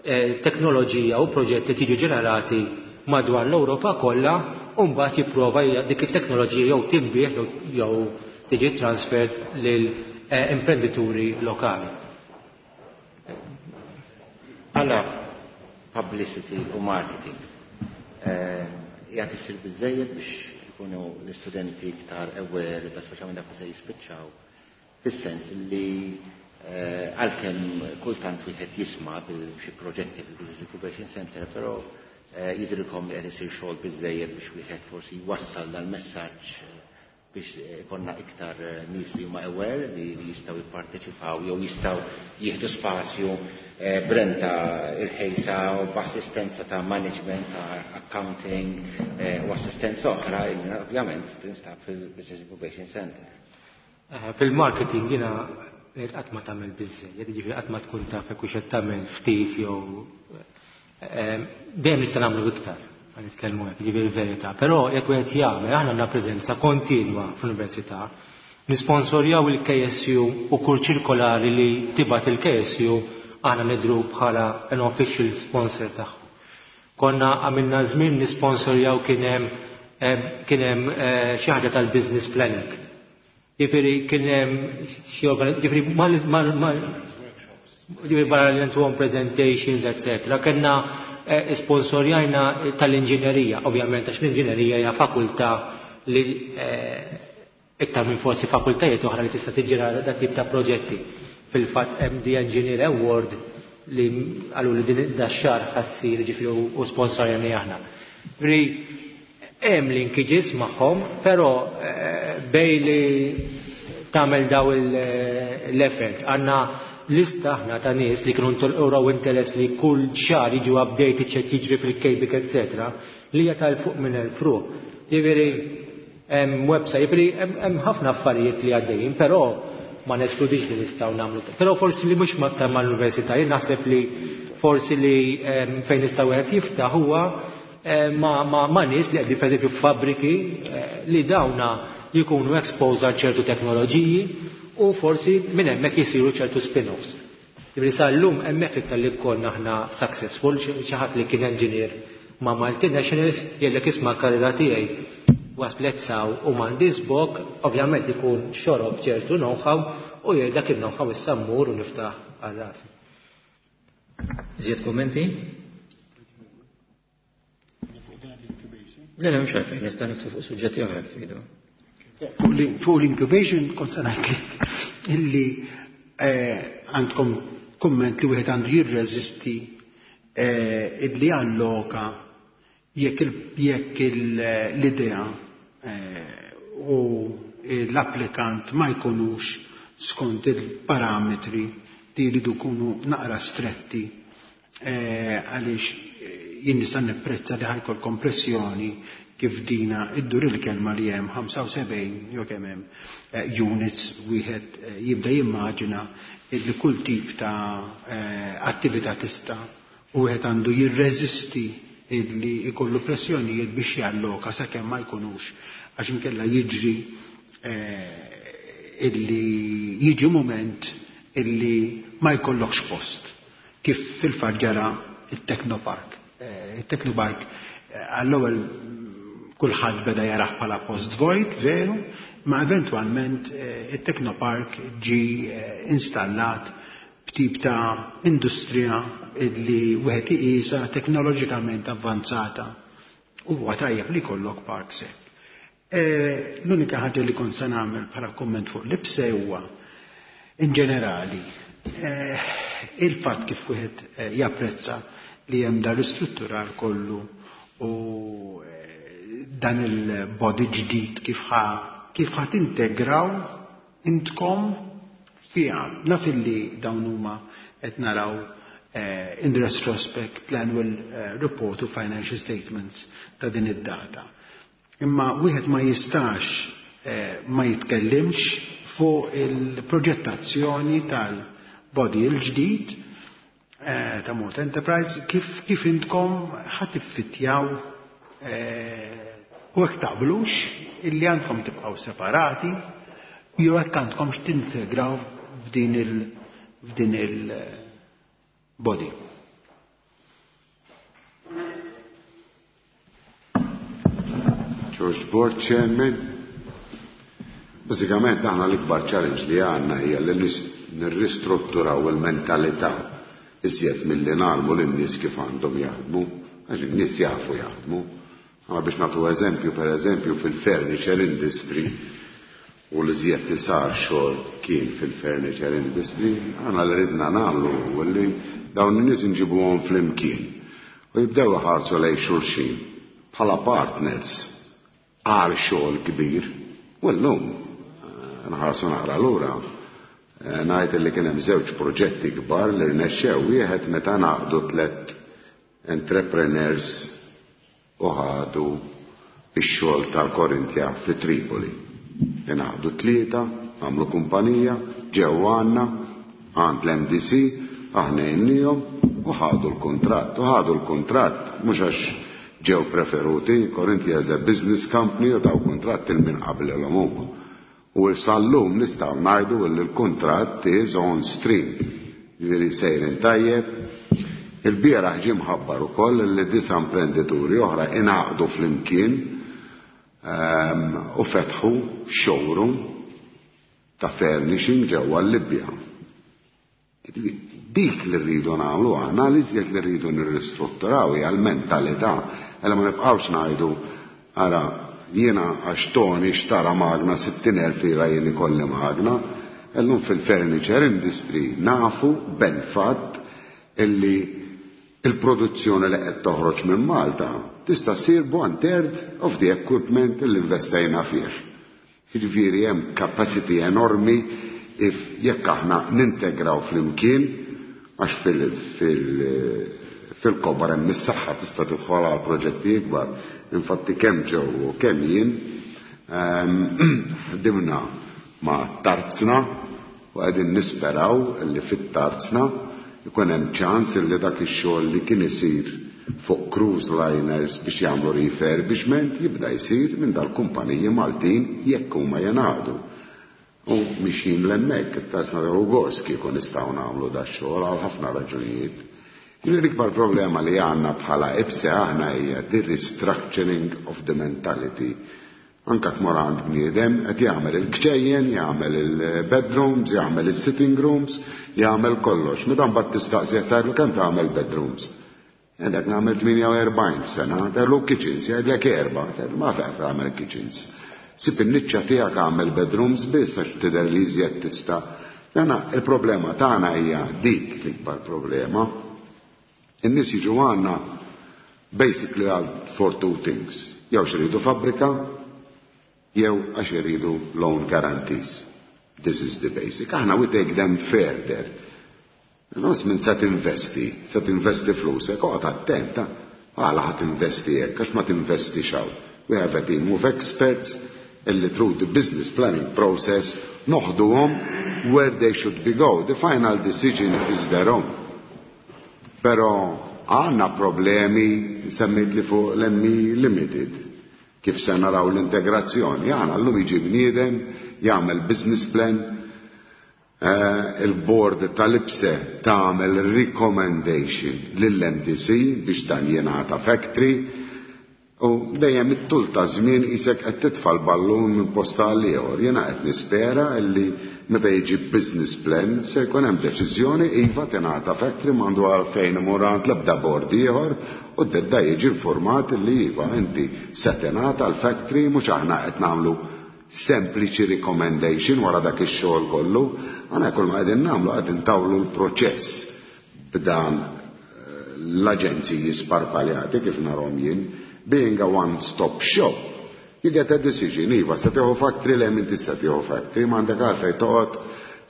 eh, teknoloġija u proġetti tiġi ġenerati madwar l-Ewropa kollha u mbagħad jipprova dik it-teknoloġija jew tinbiegħ jew tiġi transferred lil eh, imprenditori lokali. Għala publicity u marketing. Eh, jgħat issir biżżejjed biex ikunu l-istudenti iktar aware, da speċjalment dak se jispiċċaw, fis-sens li eh, għalkemm kultant wieħed jisma' bil xi proġetti fil-Business Incubation Center, però Eh, jidrilkom li qed isir xogħol biżejjed biex wieħed forsi jwassal dal-messaġġ eh, biex ikonna iktar eh, nies li huma aware li jistgħu jipparteċipaw jew jistgħu jieħdu spazju b'renta irħejsa u b'assistenza ta' management, ta' accounting u assistenza oħra, ovvjament tinstab fil-Business Incubation Center? Eh, fil-marketing jiena qatt ma tagħmel biżżejjed, jiġifieri qatt ma tkun taf jekk hux qed tagħmel ftit jew eh, dejjem nista' nagħmlu iktar, ħa nitkellmu hekk, jiġifieri verità. Però jekk wieħed jagħmel, aħna għandna preżenza kontinwa fl-università, nisponsorjaw il-K S U u kull ċirkolari li tibgħat il-K S U aħna nidhru bħala an official sponsor tagħhom. Konna għamilna żmien nisponsorjaw, kien hemm eh, kien hemm eh, xi ħaġa tal-business planning. Jiġifieri kien hemm xi jiġifieri mal mal jiġifieri barra li ntuhom presentations, et cetera. Kellna eh, sponsorjajna tal-inġinerija, ovvjament għax l-inġinerija hija fakultà li iktar minn forsi fakultajiet oħra li tista' tiġġenera dat tip ta' proġetti. Fil-fatt hemm the Engineer Award li għallu li din da xahar ħa ssir, ġifieri u sponsorjani aħna. Ri hemm linkages magħhom, però eh, bej li tagħmel daw l-effort. Għandna lista aħna ta' nies li kienu uraw interess li kull xahar jiġu update x'qed jiġri fil-K B I C, et cetera, li hija tal fuq minn elf ruħ. Jiġifieri hemm website, jiġifieri hemm ħafna affarijiet li għaddejjin, però ma neskludix li nistgħu nagħmlu. Però forsi li mhux aktar mal-università, jien naħseb li forsi li fejn nistgħu wieħed jiftaħ huwa ma, ma, ma nies li qegħdin, pereżempju, f'fabbriki li dawna jkunu exposed għal ċertu teknoloġiji u forsi minn hemmhekk jisiru ċertu spin-offs. Jiġifieri sal-lum hemmhekk iktar li konna aħna successful, xi ħadd li kien engineer ma' multinationals jgħidlek, "Isma', karriera tiegħi waslet s'hawn u m'għandi żbok," ovvjament ikun xorob ċertu know-how u jgħid dak il-know-how issa mmur u niftaħ għal rasi. Iżjed kommenti? Le, le, mhux għalfejn, nista' niftħu fuq suġġetti oħra jekk tridu. Fuq l-incubation kont se ngħidlek illi eh, għandkom komment li wieħed għandu jirreżisti eh, illi alloka jekk jekk l-idea eh, u l-applikant ma jkunux skont il-parametri li jridu jkunu naqra stretti, għaliex jien nista' nipprezza li ħa jkollkom pressjoni kif dina iddur il-kelma li hemm ħamsa u sebgħin jew kemm hemm eh, units, wieħed eh, jibda jimmaġina li kull tip ta' eh, attività tista' u wieħed għandu jirreżisti illi jkollu pressjonijiet biex jalloka sakemm ma jkunux, għax inkella jiġri illi jiġi moment illi ma jkollokx post, kif fil-fatt ġara il-Technopark. Il-Technopark għall-ewwel kulħadd beda jarah bħala post vojt, veru, ma eventwalment eh, il-Technopark ġi eh, installat b'tip ta' industrija illi wieħed iqisha teknoloġikament avvanzata u huwa tajjeb li jkollok park hekk. Eh, l-unika ħaġa li kont se nagħmel bħala komment fuq l-I P S E huwa in ġenerali il-fatt kif wieħed japprezza li hemm dar ristrutturar kollu u dan il-body ġdid, kif ħa kif ħa tintegraw intkom fiha. Naf illi dawn huma qed naraw eh, in retrospect l-annual eh, report u financial statements ta' din id-data. Imma wieħed ma jistax eh, ma jitkellimx fuq il-proġettazzjoni tal-body il-ġdid eh, ta' Malta Enterprise, kif, kif intkom ħa tiffittjaw eh, u hekk taqblux illi għandkom tibqgħu separati jew hekk għandkom tintegraw f'din il f'din il body. George Board Chairman, bażikament aħna l-ikbar challenge li għandna hija li nirristrutturaw il-mentalità iżjed milli ngħallmu lin-nies kif għandhom jaħdmu, għax in-nies jafu jaħdmu. Għa biex nagħtu eżempju, per eżempju, fil-furniture industry, u l-iżjed li sar xogħol kien fil-furniture industry, aħna li ridna nagħmlu u li dawn in-nies inġibuhom flimkien u jibdew iħarsu lejn xulxin bħala partners għal xogħol kbir. U llum eh, nħarsu naqra lura, eh, ngħid li kien hemm żewġ proġetti kbar li rnexxew. Wieħed meta ngħaqdu tliet entrepreneurs u ħadu ix-xogħol tal-Korintia fi Tripoli. Ingħaqdu tlieta. għamlu kumpanija, ġew għandna, għand l-M D C, aħna għinnihom u ħadu l-kontratt, u ħadu l-kontratt, mhux għax ġew preferuti. Corinthia as a business company u taw kontratt lil min qablilhom huma. U sal-lum nistgħu ngħidu li l-kontratt is on stream. Ġifieri sejrin tajjeb. Il-bieraħ ġie mħabbar ukoll li disa' imprenditori oħra ingħaqdu flimkien ehm, u fetħu showroom ta' furnishing ġewwa l-Libja. Dik li rridu nagħmlu aħna, li iżjed li rridu nirristrutturaw hija l-mentalità. Ella ma nibqgħux ngħidu, ara, jiena għax Tony xtara magna sittin elf lira, jien ikolli magna. Illum fil-furniture industry nafu ben fatt illi il-produzzjoni li qed toħroġ minn Malta tista' ssir one third of the equipment li investejna fih. Jiġifieri hemm capacity enormi if jekk aħna nintegraw flimkien, għax fil-kobor hemm is-saħħa, tista' tidħol għal proġetti ikbar. Infatti kemm ġew u kemm jien ehm, ħdimna ma' tarzna u qegħdin nisperaw li fit-tarzna ikun hemm ċans li dak ix-xogħol li kien isir fuq cruise liners biex jagħmlu refurbishment jibda jsir minn dal-kumpaniji Maltin jekk huma jingħaqdu. U mixin 'l hemmhekk, it-tarzna u gost kieku nistgħu nagħmlu da xogħol għal ħafna raġunijiet. L-ikbar problema li għandna bħala IBSE aħna hija the restructuring of the mentality. Anka tmur għand bniedem qed jagħmel il-kċejjen, jagħmel il-bedrooms, jagħmel il-sitting rooms, jagħmel kollox. Meta mbagħad tistaqsi, tgħidlu kemm tagħmel bedrooms? Għedek nagħmel tmienja u erbgħin f'sena, tgħidlu kitchens, jgħidlek erba', tgħidlu ma fejn tagħmel kitchens. Sib in-niċċa tiegħek, għamel bedrooms biss għax tidher li iżjed tista'. Jana il-problema tagħna hija dik l-ikbar problema. In-nies jiġu għandna basically għal for two things. Jew iridu fabbrika, jew għax iridu loan guarantees. This is the basic. Aħna we take them further. Nos minn se tinvesti, se tinvesti flusek, oqgħod attenta. Għala ħa tinvesti hekk, għax ma tinvesti xaw. We have a team of experts illi through the business planning process noħduhom where they should be go. The final decision is their own. Pero għandna problemi, semmit li fuq l-M E Limited. Kif se naraw l-integrazzjoni? Għandna llum jiġi bniedem, jagħmel business plan, eh, il-board tal-IBSE tagħmel recommendation lill-M D C biex dan jingħata factory. U dejjem it-tul ta' żmien isek qed titfa' l-ballun minn posta għal ieħor. Jiena qed nispera illi meta jiġi business plan se jkun hemm deċiżjoni, iva, tingħata factory, m'għandu għalfejn imur għand l-ebda board ieħor u d-dedda jiġi informat li iva, inti se tingħata l-factory, mhux aħna qed nagħmlu sempliċi recommendation wara dak ix-xogħol kollu, aħna kull ma qegħdin nagħmlu qegħdin tawlu l-proċess b'dan l-aġenziji sparpaljati kif narahom jien. Being a one-stop shop, you get a decision, iva, se tieħu factory, le inti se tieħu factory, m'għandek għalfejn toqgħod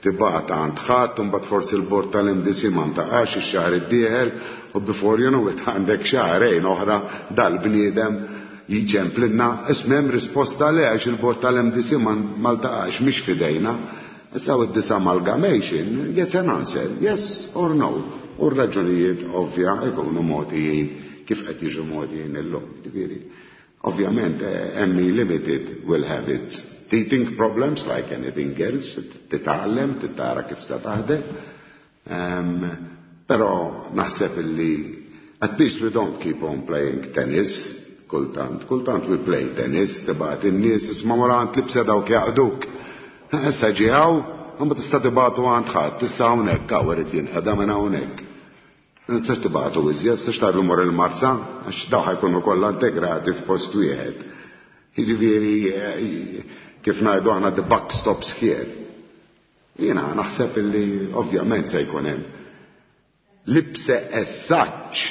tibgħat għand ħadd, mbagħad forsi l-bord tal-M D C ma ntaqax ix-xahar id-dieħel u before you know it għandek xahrejn oħra dal-bniedem jiġemplinna ismem risposta le għax il-bord tal-M D C ma ltaqax, mhix fidejna. Issa with this amalgamation gets an answer, yes or no. U r-raġunijiet ovvja ikunu mogħtijin kif qed jiġu mogħtijin illum. Ġifieri, ovvjament M E Limited will have its teething problems like anything else, titgħallem, titara kif se taħdem. Um, però naħseb illi at least we don't keep on playing tennis, kultant, kultant we play tennis, tibgħat in-nies, isma' mur għand l-IBSE dawk jaqduk. Issa ġiegħu, ma tista' tibgħatu għand ħadd, tista' hawnhekk, hawn irid jinqeda minn hawnhekk. Nistax tibgħatu iżjed, nistax tgħidlu mor il-Marsa, għax daw ħa jkunu kollha integrati f'post wieħed. Jiġifieri, kif ngħidu aħna, the buck stops here. Jiena naħseb illi ovvjament se jkun hemm. L-IBSE as such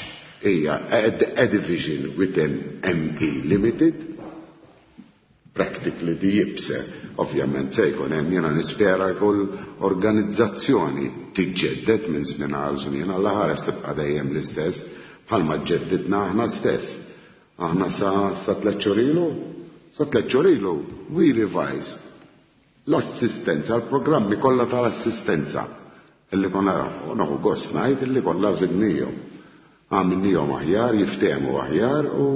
hija a, a division within M E Limited, practically the IBSE, ovvjament se jkun hemm, jiena nispera kull organizzazzjoni tiġġedded minn żmien għal żmien, alla ħares tibqa' dejjem l-istess bħalma ġeddidna aħna stess. Aħna sa sa tliet xhur ilu, sa tliet xhur ilu we revised L-assistenza, l-programmi kollha tal-assistenza illi konna nieħu gost ngħid illi kollha żidnihom. Għamilnihom aħjar, jiftehmu aħjar u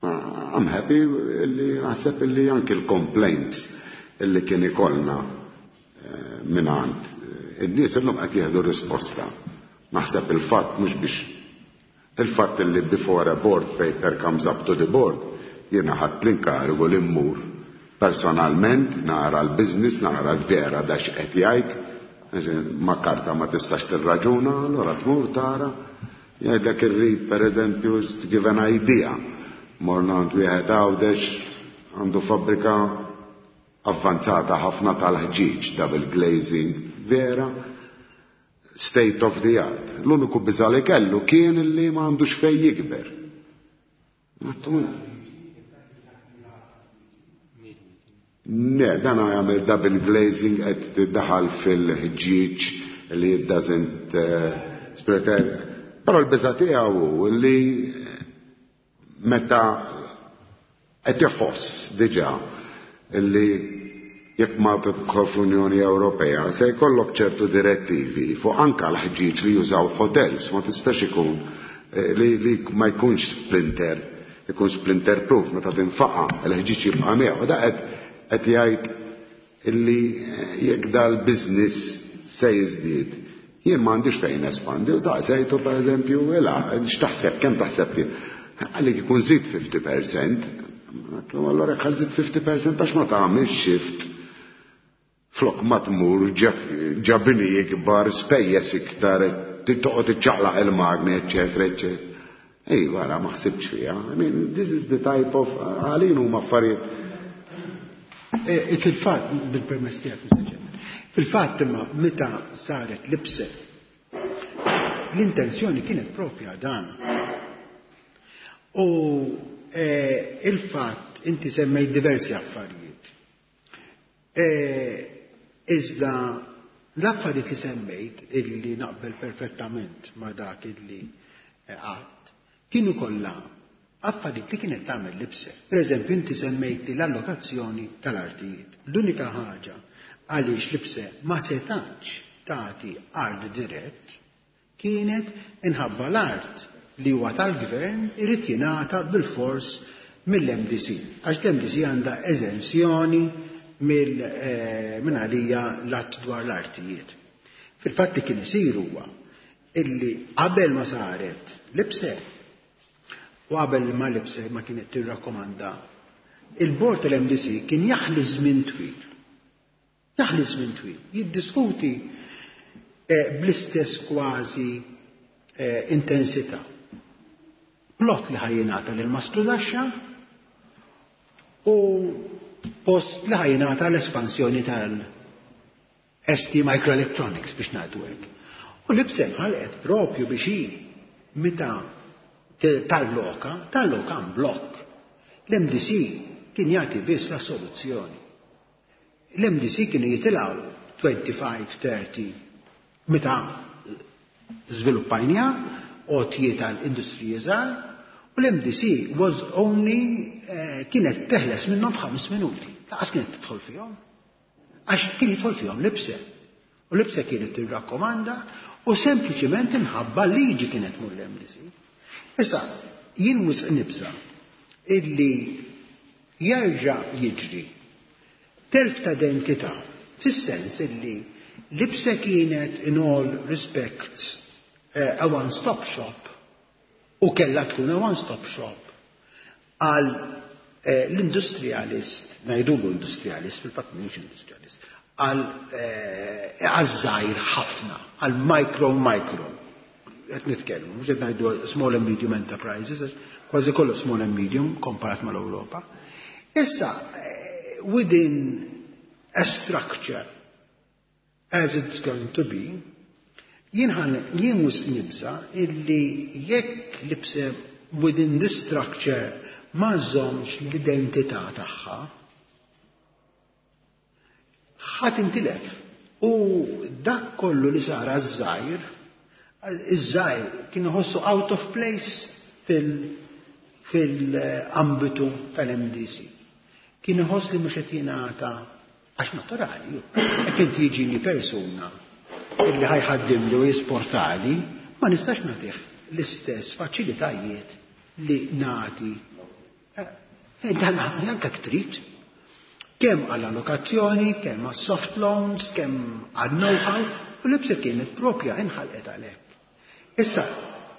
I'm happy illi naħseb illi anki l-complaints illi kien ikollna mingħand in-nies illum qed jieħdu risposta. Naħseb il-fatt mhux biex il-fatt illi before a board paper comes up to the board, jiena ħadt l-inkarigu li mmur personalment nara l-business, nara l-vera da x'qed jgħid, ma karta ma tistax tirraġuna, allura tmur tara, jgħidlek irrid pereżempju to give an idea. Morna għand wieħed Għawdex għandu fabbrika avvanzata ħafna tal-ħġieġ, double glazing, vera, state of the art. L-uniku biża li kellu kien li ma għandux fej jikber. Ne, dan għamel double glazing qed tiddaħal fil-ħġieġ li it doesn't spread. Però l-biża tiegħu li meta qed iħoss diġà li jekk Malta tidħol fl-Unjoni Ewropea se jkollok ċertu direttivi fuq anka l-ħġieġ li jużaw hotels, ma tistax ikun li, li ma jkunx splinter, ikun splinter proof meta tinfaqa l-ħġieġ jibqa' miegħu. Da qed qed jgħid illi jekk dal-business se jiżdied, jien m'għandix fejn espandi, u saqsejtu pereżempju, ila, x'taħseb, kemm taħseb ti? Għalik ikun żid fifty percent, allora jekk ħażid fifty percent għax ma tagħmilx shift flok ma tmur ġabini ikbar, spejjeż iktar, toqgħod iċċaqlaq il-magni, eċċetera, eċċetera. Ej, wara ma ħsibx fiha. I mean, this is the type of għalin huma affarijiet. Fil-fatt, bil-permess tiegħek, Mister Chairman, fil-fatt imma meta saret l-I P S E, l-intenzjoni kienet propja dan. U il-fatt inti semmejt diversi affarijiet. Iżda l-affarijiet li semmejt illi naqbel perfettament ma dak illi għadt, kienu kollha affarijiet li kienet tagħmel l-I P S E. Per eżempju, inti semmejt l-allokazzjoni tal-artijiet. L-unika ħaġa għaliex l-I P S E ma setax tagħti art dirett kienet inħabba l-art li huwa tal-gvern irid jingħata bil-fors mill-M D C. Għax l-M D C għandha eżenzjoni minn għalija l-att dwar l-artijiet. Fil-fatt li kien isir huwa illi qabel ma saret l-I P S E u qabel ma l-I P S E ma kienet tirrakkomanda, il-bord tal-M D C kien jaħli żmien twil. Jaħli żmien twil, jiddiskuti bl-istess kważi intensità. Plot li ħajjinata lil Mastru Daxxa u post li ħajjinata l-espansjoni tal-S T Microelectronics biex ngħidu hekk. U l-I P S E nħalqet propju biex hi meta tal-loka, tal-loka blokk. L-M D C kien jagħti biss la soluzzjoni. L-M D C kienu jitilgħu twenty-five, thirty meta żviluppajnija għotjiet tal-industriji żgħar, u l-M D C was only kienet teħles minnhom f'ħames minuti. Laqas kienet tidħol fihom. Għax kien jidħol fihom l-I P S E. U l-I P S E kienet tirrakkomanda u sempliċiment imħabba liġi kienet mur l-M D C. Issa, jien wisq nibża illi jerġa' jiġri telf ta' identità, fis-sens illi l-I P S E kienet in all respects a one-stop shop u kellha tkun a one-stop shop għal l-industrialist, ngħidulu industrialist, fil-fatt mhux industrialist, għal għaż-żgħir ħafna, għal micro micro. Qed nitkellmu, mhux qed ngħidu small and medium enterprises, kważi kollu small and medium komparat mal-Ewropa. Issa, within a structure as it's going to be, jien jien mhux nibża illi jekk l-I P S E within this structure ma żommx l-identità tagħha, ħadd intilef. U dak kollu li sar għaż-żgħir, iż-żgħir kien iħossu out of place fil-ambitu tal-M D C. Kien iħoss li mhux qed jingħata, għax naturali, jekk inti jiġini persuna illi ħa jħaddimli u jisportali, ma nistax nagħtih l-istess faċilitajiet li nagħti. Eh, dan anke trid. Kemm għall allokazzjoni, kemm għal soft loans, kemm għal know-how, u l-IPSE kienet propja inħalqet għalhekk. Issa,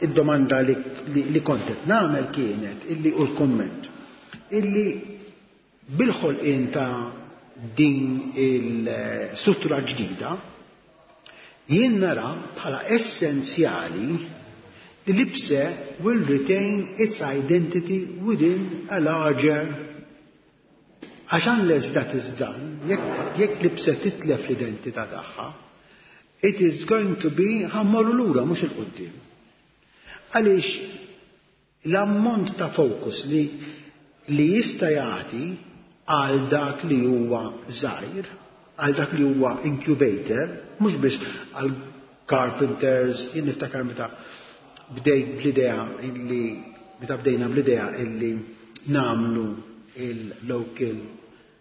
id-domanda li, li, li kont qed nagħmel kienet illi u l-komment illi bil-ħolqien ta' din il-struttura ġdida jien nara bħala essenzjali li l-IPSE will retain its identity within a larger, għax unless that is done, jekk jekk l-IPSE titlef l-identità tagħha, it is going to be ħa mmorru lura mhux 'il quddiem. Għaliex l-ammont ta' focus li li jista' jagħti għal dak li huwa żgħir, għal dak li huwa incubator, mhux biss għal carpenters, jien niftakar meta bdejt bl-idea illi meta bdejna bl-idea illi nagħmlu il-local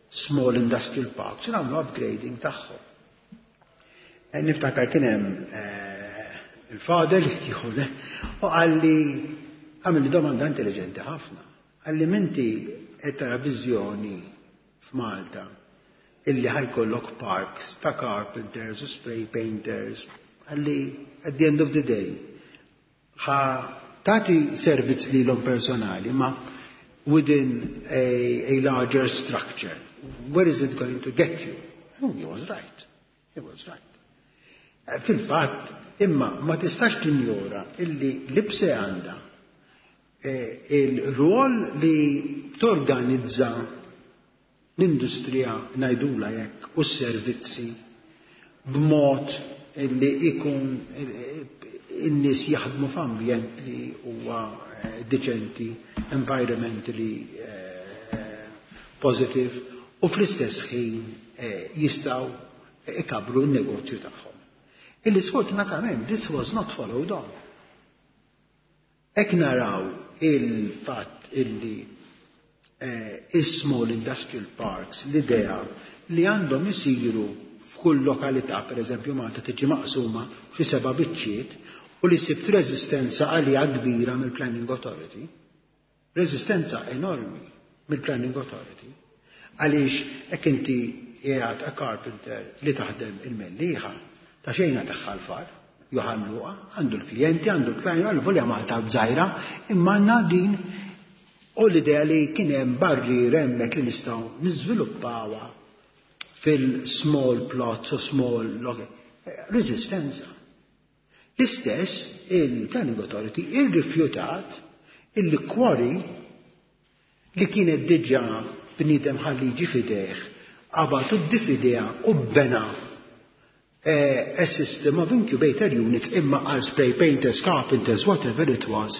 small industrial parks, nagħmlu upgrading tagħhom. E niftakar kien hemm eh, il-father li tieħu u qalli, għamilli domanda intelligenti ħafna. Qalli, "M'inti qed tara viżjoni f'Malta illi ħa jkollok parks ta' carpenters u spray painters?" Qalli, "At the end of the day ħa tagħti servizz lilhom personali, ma within a, a larger structure, where is it going to get you?" Oh, he was right. He was right. Eh, Fil-fatt, imma ma tistax tinjora illi l-IPSE għandha eh, il-rwol li torganizza l-industrija, ngħidulha hekk, u s-servizzi b'mod li ikun eh, in-nies jaħdmu f'ambjent li huwa eh, deċenti, environmentally eh, positive, u fl-istess ħin eh, jistgħu ikabbru n-negozju tagħhom. Illi sfortunatament this was not followed on. Jekk naraw il-fatt illi eh, is-small industrial parks, l-idea li għandhom isiru f'kull lokalità, per eżempju Malta tiġi maqsuma fi seba' biċċiet, u li sibt reżistenza għalija kbira mill-Planning Authority, reżistenza enormi mill-Planning Authority, għaliex hekk inti qiegħed a carpenter li taħdem il-Mellieħa, ta' xejna Ħal Far, Johann Luqa, għandu l-klijenti, għandu l-klijenti, għandu volja Malta żgħira, imma għandna din u l-idea li kien hemm barri hemmhekk li nistgħu niżviluppawha fil-small plots u small log. Resistenza. L-istess il-Planning Authority irrifjutat il-quarry li kienet diġà bniedem ħalli jiġi fideh, qabad u ddifidea u bena eh, a system of incubator units, imma għal spray painters, carpenters, whatever it was,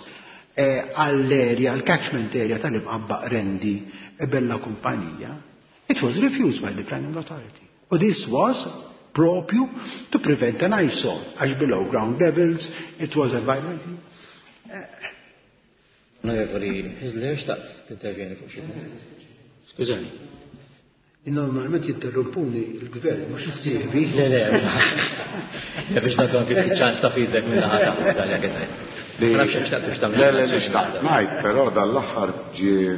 eh, għall-area, għall-catchment area tal-Imqabba, Qrendi, e bella kumpanija. It was refused by the Planning Authority. U this was propju to prevent an eyesore, għax below ground levels, it was environmentally. Onorevoli Hyzler, xtaqt tintervjeni fuq xi punt? Skużani. Normalment jinterrompuni il-gvern, mhux ħsiebi. Le, le, le, biex nagħtu anki ftit ċans ta' feedback minn naħa ta' tal jekk qed. Ma nafx hekk xtaqt tagħmel. Le, le, li xtaqt ngħid, però dal-aħħar ġie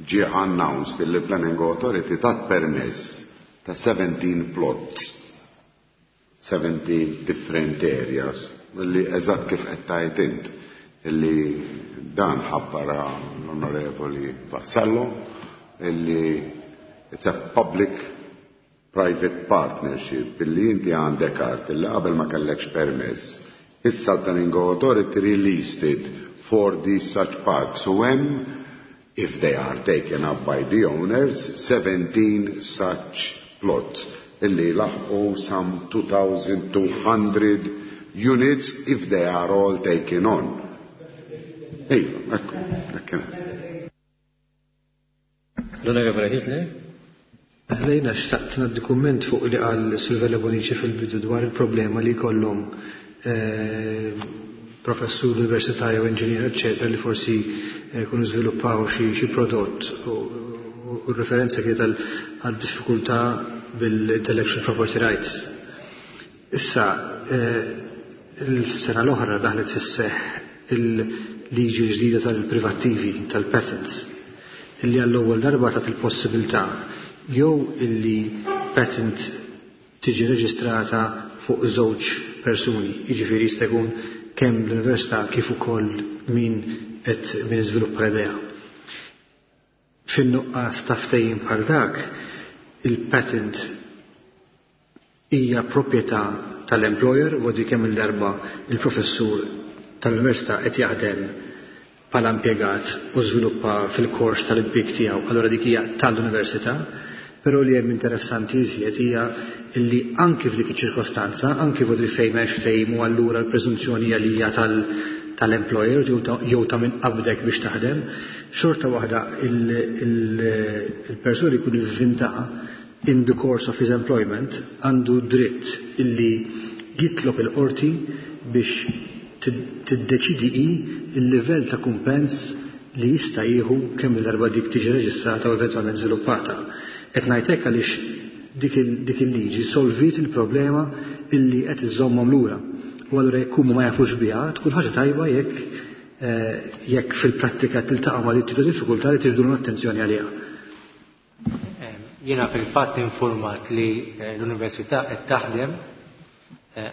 ġie announced li Planning Authority tat permess ta' seventeen plots, seventeen different areas, li eżatt kif qed tgħid int, illi dan ħabbara l-Onorevoli Vassallo, illi it's a public private partnership, illi inti għandek art illi qabel ma kellekx permess. Issa l-Planning Authority released it for these such parks. So when, if they are taken up by the owners, seventeen such plots illi laħqu some two thousand two hundred units if they are all taken on. Iva, ekku, ekku. L-Onorevoli Hyzler? Lejna xtaqt ngħaddi kumment fuq li qal Silvella Bonici fil-bidu dwar il-problema li kollhom eh, professur universitarju, inġinier, eccetera, li forsi eh, jkunu żviluppaw xi xi prodott u r-referenza kienet għal diffikultà bil-intellectual property rights. Issa, il-sena l-oħra daħlet fis-seħħ il-liġi ġdida tal-privattivi, tal-patents, illi għall-ewwel darba tat il-possibilità jew illi patent tiġi reġistrata fuq żewġ persuni, jiġifieri jista' jkun kemm l-università kif ukoll min qed min iżviluppa l-idea. Fin-nuqqas ta' ftehim bħal dak, il-patent hija proprjetà tal-employer u għadu kemm il-darba il-professur tal-università qed jaħdem bħala impjegat u żviluppa fil-kors tal-impjieg tiegħu, allura dik hija tal-università, però li hemm interessanti iżjed hija illi anki f'dik iċ-ċirkostanza, anki f'dik fejn m'hemmx ftehim u allura l-preżunzjoni hija li hija tal-employer jew ta' min qabdek biex taħdem, xorta waħda il-persuna li jkun ivvinta in the course of his employment għandu dritt illi jitlob il-qorti biex tiddeċidi hi il-livell ta' kumpens li jista' jieħu kemm il-darba dik tiġi reġistrata u eventwalment żviluppata. Qed ngħid hekk għaliex dik il-liġi solvit il-problema illi qed iżommhom lura. U allura jekk huma ma jafux biha, tkun ħaġa tajba jekk jekk fil-prattika tiltaqa' ma' dik diffikultà li tiġbdu l-attenzjoni għaliha. Jiena fil-fatt informat li l-Università qed taħdem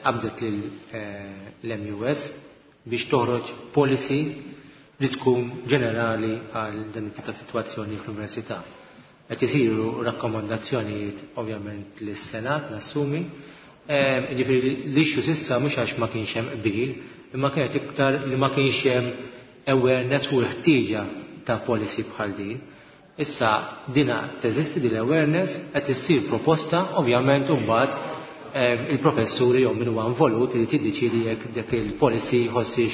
qabdet l-M U S biex toħroġ policy li tkun ġenerali għal dan it-tip ta' sitwazzjoni fl-università. Qed isiru rakkomandazzjonijiet ovvjament lis-Senat, nassumi. Ġifieri l-issue s'issa mhux għax ma kienx hemm qbil, imma kienet iktar li ma kienx hemm awareness u l-ħtieġa ta' policy bħal din. Issa dina teżisti din l-awareness, qed issir proposta, ovvjament mbagħad il-professuri jew min huwa involut li tiddeċidi jekk dik il-policy jħossix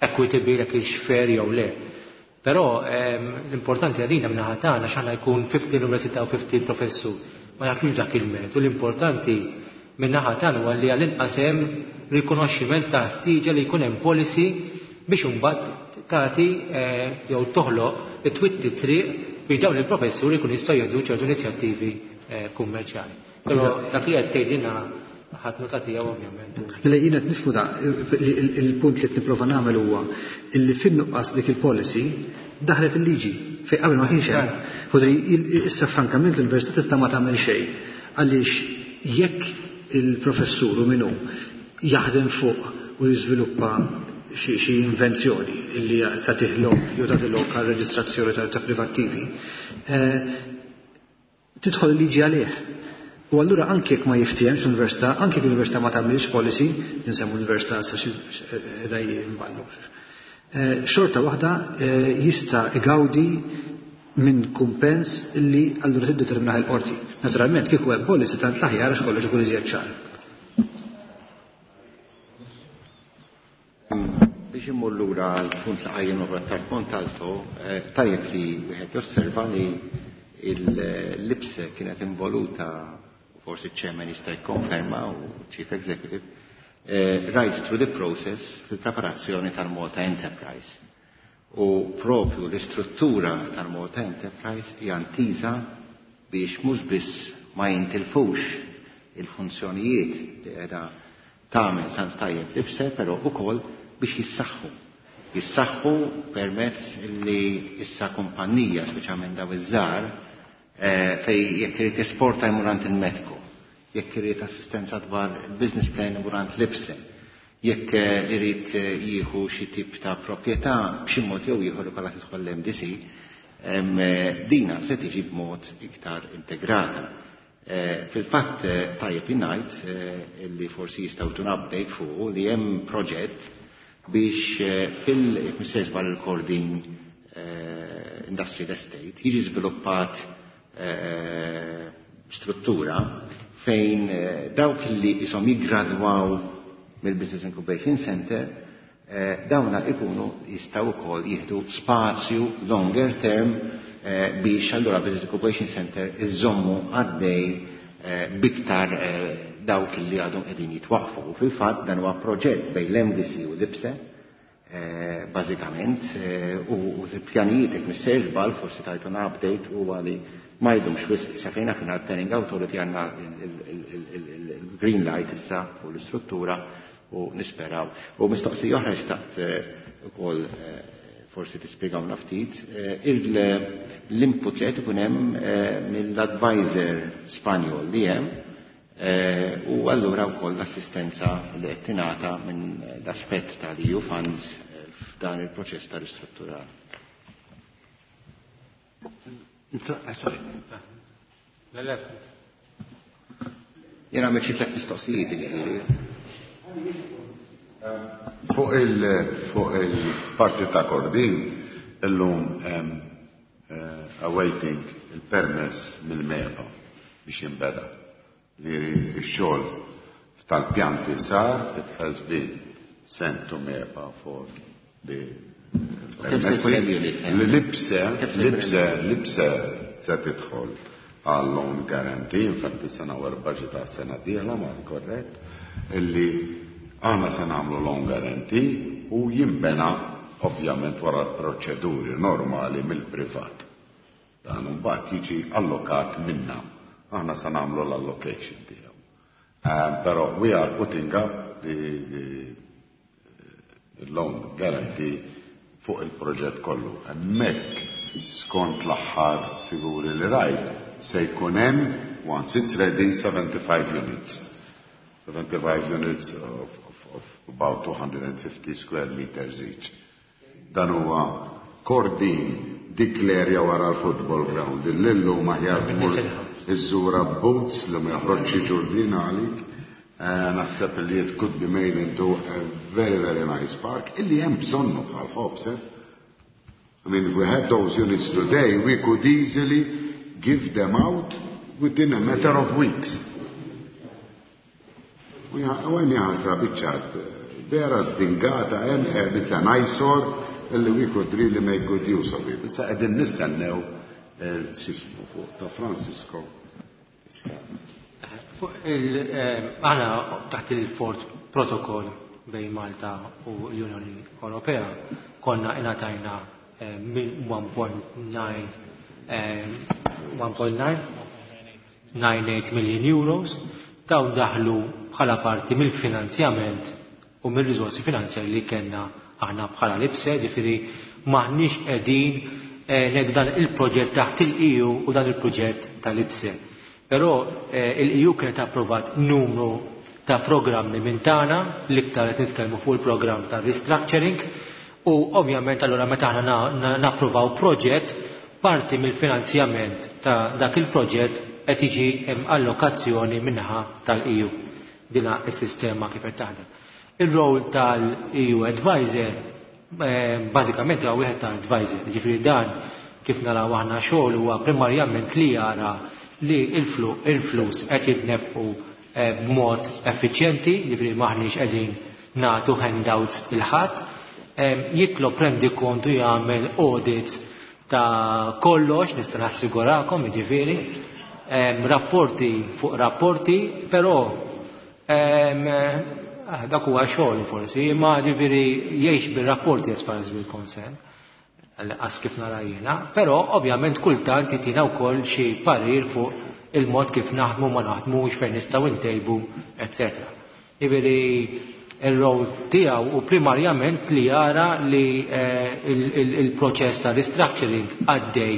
equitable, jekk hix fair jew le. Però l-importanti għalina min-naħa tagħna x'aħna jkun ħmistax università u ħmistax professur. Ma nafux dak il-mertu. L-importanti min-naħa tagħna huwa li għall-inqas hemm rikonoxximent ta' ħtieġa li jkun hemm policy biex imbagħad tagħti jew toħloq it-twitti triq biex dawn il-professuri jkun jistgħu jieħdu ċertu inizjattivi kummerċjali. Però dak li qed tgħidilna ħadd nota tiegħu, ovvjament. Le, jiena qed nifhmu da, il-punt li qed nipprova nagħmel huwa illi fin-nuqqas dik il-policy daħlet il-liġi fejn qabel ma kienx hemm. Fodri issa frankament l-università tista' ma tagħmel xejn għaliex jekk il-professur u minnu jaħdem fuq u jiżviluppa xi invenzjoni illi tagħtih lok jew tagħti lok għal reġistrazzjoni ta' privattivi, tidħol il-liġi għalih. U allura anke jekk ma jiftihemx l-università, anke jekk l-università ma tagħmilx policy, ninsemmu l-università sa xi daj imballu. Xorta waħda jista' igawdi minn kumpens illi allura tiddeterminaħ il-qorti. Naturalment kieku hemm policy tant l-aħjar għax kollox ikun iżjed ċar. Biex immur lura għal punt li qajjem Attard Montalto, tajjeb li wieħed josserva li l-I P S E kienet involuta, forsi ċ-chairman jista' jikkonferma u chief executive, right through the process fil-preparazzjoni tal-Malta Enterprise. U propju l-istruttura tal-Malta Enterprise hija intiża biex mhux biss ma jintilfux il-funzjonijiet li qiegħda tagħmel tant tajjeb l-I P S E, però ukoll biex jissaħħu. Jissaħħu permezz li issa kumpanija, speċjalment daw iż-żgħar, fej jekk irid esporta jmur għand il-METCO, jekk irid assistenza dwar il-business plan imur għand l-I P S E, jekk irid jieħu xi tip ta' proprjetà b'xi mod jew ieħor ikollha tidħol l-M D C, dina se tiġi b'mod iktar integrata. Fil-fatt tajjeb ngħid li forsi jistgħu tun update fuq li hemm proġett biex fil jekk il-Kordin Industrial Estate jiġi żviluppat struttura fejn dawk li isom jiggradwaw mill-Business Incubation Center dawna ikunu jistgħu wkoll jieħdu spazju longer term biex allura Business Incubation Center iżommu għaddej biktar dawk li għadhom qegħdin jitwaqfu. U fil-fatt dan huwa proġett bejn l-M D C u l-I P S E bażikament, u l-pjanijiet, jekk missejjer żball, forsi tajtuna update, huwa li Ma jdumx wisq sa fejn aħna l-Planning Authority għandna il-green light issa u l-istruttura u nisperaw. U mistoqsija oħra xtaqt ukoll forsi tispjegawna ftit l-input li qed ikun hemm mill-advisor Spanjol li hemm u allura wkoll l-assistenza li qed tingħata minn l-aspett tal-E U funds f'dan il-proċess ta' ristrutturar. Sorry. Le, le. Jena għamilt xi tliet mistoqsijiet, jiġifieri. Fuq il, fuq il-parti ta' Kordin, illum hemm uh, awaiting il-permess mill-MEPA biex jinbeda. Ġifieri x-xogħol tal-pjanti sar, it has been sent to MEPA for the permessi. L-IPSE, l-IPSE, l-IPSE se tidħol għal loan guarantee, infatti sena wara budget ta' sena dieħla ma korrett, illi aħna se nagħmlu loan guarantee u jinbena ovvjament wara l-proċeduri normali mill-privat. Dan mbagħad jiġi allokat minna. Aħna se nagħmlu l-allocation tiegħu. Um, però we are putting up the, the, the loan guarantee fuq il-proġett kollu. Hemmhekk skont l-aħħar figuri li rajt se jkun hemm, once it's ready, seventy-five units. seventy-five units of, of, of about two hundred fifty square meters each. Dan huwa Kordin, dik l-area wara l-football ground. Illum aħjar tmur iżżura boots li ma joħroġx ġurdin għalik. Eh, naħseb li it could be made into a very, very nice park illi hemm bżonnu bħal ħobs. Eh? I mean, if we had those units today, we could easily give them out within a matter of weeks. U għem jaħasra biċċat, vera sdingata, hemm it's an eyesore illi we could really make good use of it. Issa qegħdin nistennew il-sismu fuq ta' Francisco. Aħna taħt il-Fourth Protocol bejn Malta u l-Unjoni Ewropea konna ingħatajna one point nine one point nine nine eight million euros. Dawn daħlu bħala parti mill-finanzjament u mill-riżorsi finanzjari li kellna aħna bħala l-IPSE, ġifieri maħniex qegħdin ngħidu dan il-proġett taħt il-E U u dan il-proġett tal-IPSE. Però il-E U kienet approvat numru ta' programmi minn tagħna, l-iktar qed nitkellmu fuq il-programm ta' restructuring, u ovvjament allura meta aħna napprovaw proġett, parti mill-finanzjament ta' dak il-proġett qed jiġi hemm allokazzjoni minnaħa tal-E U. Dina s-sistema kif qed taħdem. Il-role tal-E U Advisor bażikament huwa wieħed ta' advisor, ġifieri dan kif naraw aħna xogħol huwa primarjament li jara li il-flus qed jitnefqu b'mod effiċjenti, ġifieri maħniex qegħdin nagħtu handouts lil ħadd, jitlob rendikontu, jagħmel audits ta' kollox, nista' nassigurakom, jiġifieri, rapporti fuq rapporti, però dak huwa xogħol forsi, imma ġifieri jgħix bir-rapporti as far as we're concerned, għas kif nara jiena, però ovvjament kultant jitina wkoll xi parir fuq il-mod kif naħdmu, ma naħdmux, fejn nistgħu ntejbu, eċetera. Jiġifieri il-rol tiegħu u primarjament li jara li il-proċess ta' restructuring għaddej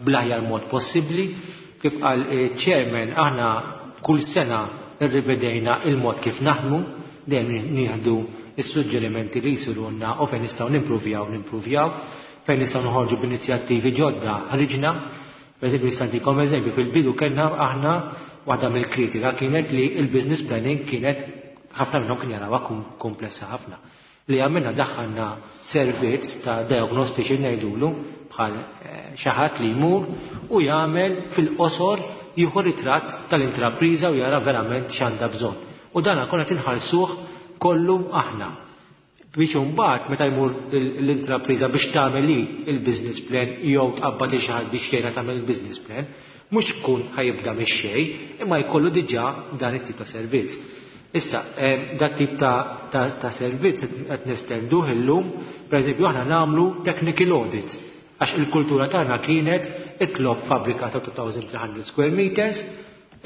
bl-aħjar mod possibbli. Kif qal chairman, aħna kull sena irrivedejna il-mod kif naħdmu, dejjem nieħdu is-suġġerimenti li jsirulna u fejn nistgħu nimpruvjaw, nimpruvjaw, fejn nistgħu noħorġu b'inizjattivi ġodda, ħriġna. Per eżempju, nista' ntikom eżempju, fil-bidu kellna aħna waħda mill-kritika kienet li il-business planning kienet ħafna minnhom kien jarawha komplessa ħafna. Li għamilna, daħħalna servizz ta' diagnostiċi ngħidulu, bħal xi ħadd li jmur u jagħmel fil-qosor, jieħu ritratt tal-intrapriża u jara verament x'għandha bżonn. U dan konna tinħallsuh kollu aħna. Biex imbagħad meta jmur l-intrapriża biex tagħmel il-business plan jew tqabbad li xi ħadd biex jgħinha tagħmel il-business plan, mhux tkun ħa jibda mix-xejn, imma jkollu diġà dan it-tip ta' servizz. Issa, dat tip ta', ta, ta servizz qed nestenduh illum, pereżempju aħna nagħmlu technical audit. Għax il-kultura tagħna kienet itlob fabbrika ta' two thousand three hundred square meters,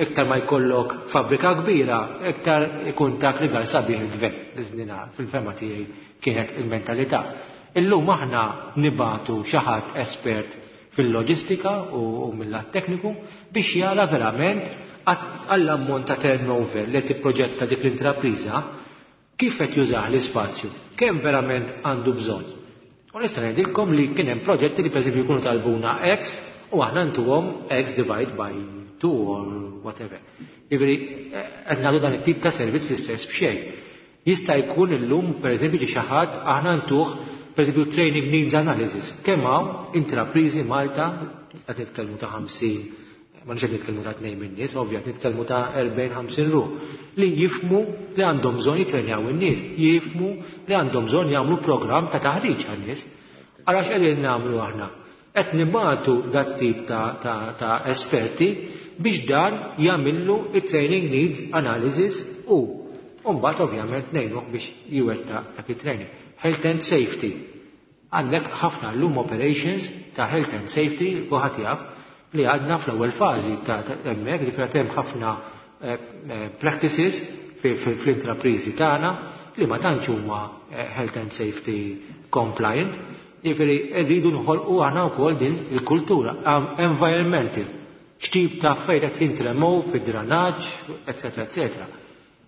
iktar ma jkollok fabbrika kbira, iktar ikun tak rigal sabiħ il-gvern. Iżnina fil-fehma tiegħi kienet il-mentalità. Illum aħna nibagħtu xi ħadd espert fil-loġistika u, u mill-lat tekniku biex jara verament għall-ammont ta' turnover li tipproġetta dik l-intrapriża kif qed jużah l-ispazju, kemm verament għandu bżonn. U nista' ngħidilkom li kien hemm proġetti li, pereżempju, jkunu talbuna X u aħna ntuhom X divide by two or whatever. Jiġifieri qed nagħtu dan it-tip ta' servizz fl-istess b'xejn. Jista' jkun illum, pereżempju, li xi ħadd aħna ntuh, pereżempju, training needs analysis. Kemm hawn intrapriżi Malta, qed nitkellmu ta' ħamsin, ma nix nitkellmu ta' tnejn minn nies, ovvja, nitkellmu ta' erbgħin ħamsin ruħ, li jifhmu li għandhom bżonn jitrenjaw in-nies, jifhmu li għandhom bżonn jagħmlu programm ta' taħriġ għan-nies. Ara x'qegħdin nagħmlu aħna. Qed nibagħtu dat tip ta', ta, ta' esperti biex dan jagħmillu it-training needs analysis u mbagħad ovvjament ngħinuh biex jwettaq dak it-training. Health and safety. Għandek ħafna llum operations ta' health and safety u ħadd jaf li għadna fl-ewwel fażi ta' hemmhekk li hemm ħafna eh, eh, practices fl-intrapriżi tagħna li ma tantx huma eh, health and safety compliant. Jiġifieri rridu nħolqu aħna wkoll din il-kultura environmental. X'tip ta' affarijiet qed jintremew fid-dranaġġ, eċetera, eċetera.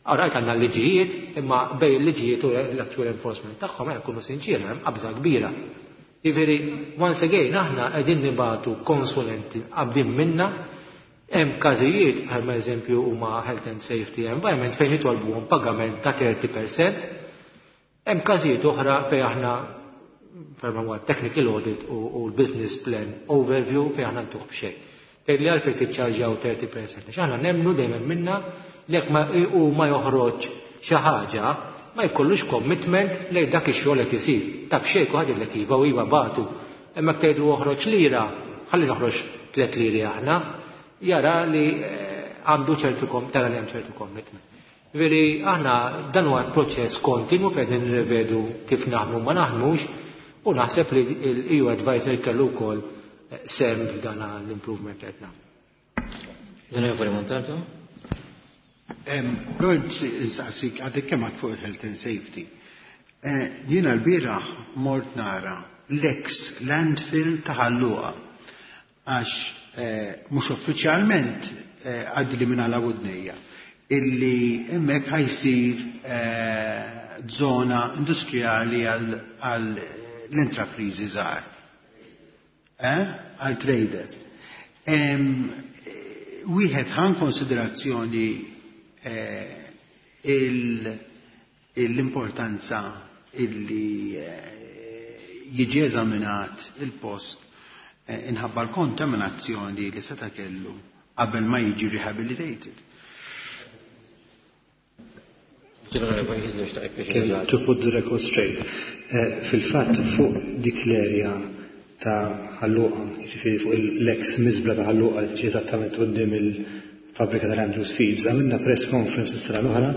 Għarajt għandna l-liġijiet, imma bejn il-liġijiet u l-actual enforcement tagħhom, għen kunu sinċiri, hemm qabża kbira. Jiġifieri, once again, aħna qegħdin nibagħtu konsulenti qabdin minna, hemm każijiet bħal eżempju huma health and safety environment fejn jitolbuhom pagament ta' thirty percent, hemm każijiet oħra fejn aħna ferma huwa technical audit u, u l-business plan overview fejn aħna ntuh b'xejn. Tgħid li għalfejn tiċċarġjaw thirty percent. Għax aħna nemmnu dejjem minna li jekk ma u ma joħroġ xi ħaġa, ma jkollux commitment lejn dak ix-xogħol qed isir. Ta' b'xejn kulħadd jgħidlek iva u iva bagħtu. Imma tgħidu oħroġ lira, ħalli noħroġ tliet liri aħna, jara li eh, għandu ċertu kom, tara li hemm ċertu commitment. Veri, aħna dan huwa proċess kontinu fejn nirrevedu kif naħdmu ma naħdmux u naħseb li l-E U Advisor kellu wkoll eh, sehem f'dan l-improvement li qed nagħmlu. L-Onorevoli Montalto? Lord, nsaqsik, għadek kemm fuq il-health and safety. Eh, jiena l-bieraħ mort nara l-ex landfill ta' Ħal Luqa. Għax eh, mhux uffiċjalment eh, għaddi li minn għala widnejja illi hemmhekk ħa jsir zona industrijali għal l-intrapriżi żgħar. Għal traders. Wieħed ħa konsiderazzjoni Eh, l-importanza illi eh, jiġi eżaminat il-post eh, inħabba l-kontaminazzjoni li seta' kellu qabel ma jiġi rehabilitated. To put the record straight, fil-fatt fuq dik l-area ta' Ħal Luqa, jiġifieri fuq l-ex miżbla ta' Ħal Luqa li eżattament quddiem il-fabrika tal-Andrews Feeds, għamilna press conference s-sena l-oħra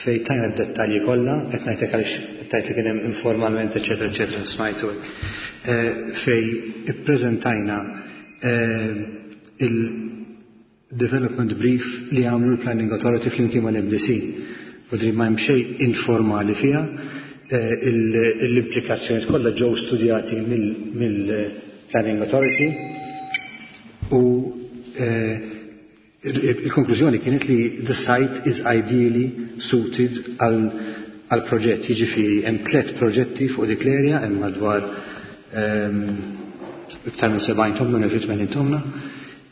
fej tajna d-dettalji kollha, qed ngħidlek għaliex tajt li kien hemm informalment, eċetera, eċetera, smajtu hekk. Eh, fej ippreżentajna eh, il-development brief li għamlu l-Planning Authority flimkien mal-M D C. Vodri ma hemm xejn informali fiha, eh, l-implikazzjoni kollha ġew studjati mill-Planning Authority u il-konklużjoni kienet li the site is ideally suited għal proġett, jiġifieri hemm tliet proġetti fuq dik l-area, hemm madwar ehm, iktar minn sebgħin tomna, neġi tmenin tomna,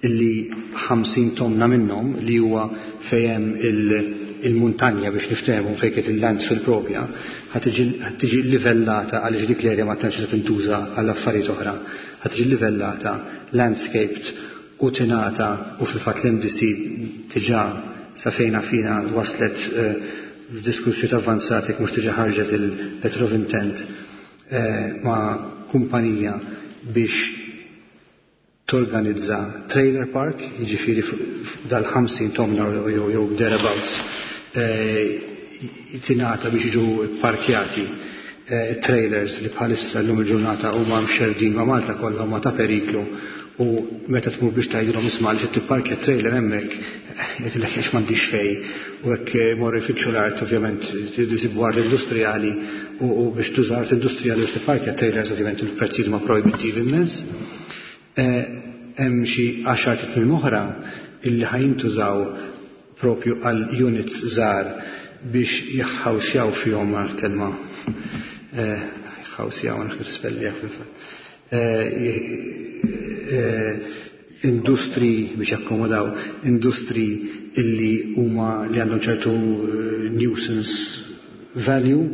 illi ħamsin tomna minnhom li huwa fejn il-muntanja, biex niftehmu, fejn kienet il-landfill propja, ħa tiġi livellata għaliex dik l-area ma tantx tintuża għal affarijiet oħra. Ħa tiġi livellata, landscaped u tingħata u fil-fatt l-M D C diġà sa fejna fina waslet eh, f'diskussjoni avvanzati, mhux diġà ħarġet il-letter of intent eh, ma' kumpanija biex torganizza trailer park, jiġifieri dal-ħamsin tomna jew jew thereabouts eh, tingħata biex jiġu parkjati Trailers li bħalissa llum il-ġurnata huma mxerdin ma' Malta kollha huma ta' periklu, u meta tmur biex tgħidilhom isma' li tipparkja trailer hemmhekk, jgħidilek għax m'għandix fejn, u hekk morru jfittxu l-art, ovvjament tridu jsibu art industrijali, u biex tuża art industrijali biex tipparkja trailers ovvjament il-prezzijiet huma projbittivi immens. Hemm xi għaxar tmiem oħra illi ħajintużaw propju għal units żgħar biex jaħħawsjaw fihom għal-kelma ħawsjaw għan kif tispellija fil-fatt. Industri biex jakkomodaw industri illi huma li għandhom ċertu nuisance value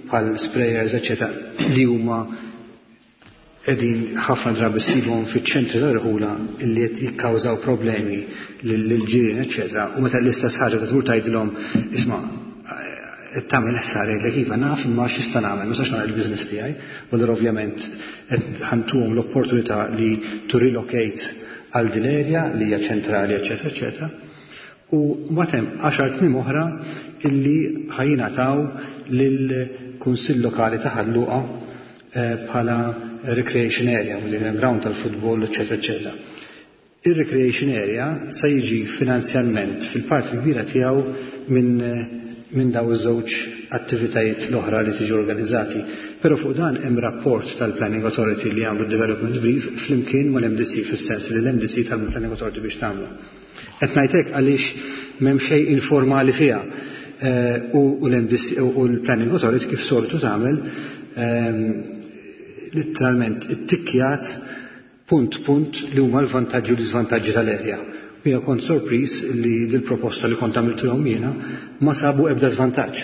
bħal sprayers eċċetera li huma qegħdin ħafna drabi ssibhom fiċ-ċentri tal-irħula illi qed jikkawżaw problemi lill-ġirien eċċetera, u meta l-istess ħaġa ta' tmur tgħidilhom isma' tagħmel ħsara jgħidlek iva naf imma x'nista' nagħmel, ma nistax nagħmel il-business tiegħi, u allura ovvjament qed ħantuhom l-opportunità li to relocate għal din area li hija ċentrali eċċetera eċċetera. U mbagħad hemm għaxar tmiem oħra illi ħajjingħataw lill-Kunsill Lokali ta' Ħal Luqa bħala recreation area, u hemm ground tal-futbol eċċetera eċċetera. Ir-recreation area se jiġi finanzjalment fil-parti kbira tiegħu minn minn daw iż-żewġ attivitajiet l-oħra li tiġi organizzati. Però fuq dan hemm rapport tal-Planning Authority li għamlu development brief flimkien mal-M D C, fis-sens li l-M D C tal-Planning Authority biex tagħmlu. Qed ngħidlek għaliex m'hemm xejn informali fiha. U l-M D C u l-Planning Authority kif soltu tagħmel letteralment ittikkjat punt punt li huma l-vantaġġi u l-iżvantaġġi tal-erja. Jiena kont sorpriż li dil-proposta li kont għamiltilhom jiena ma sabu ebda żvantaġġ.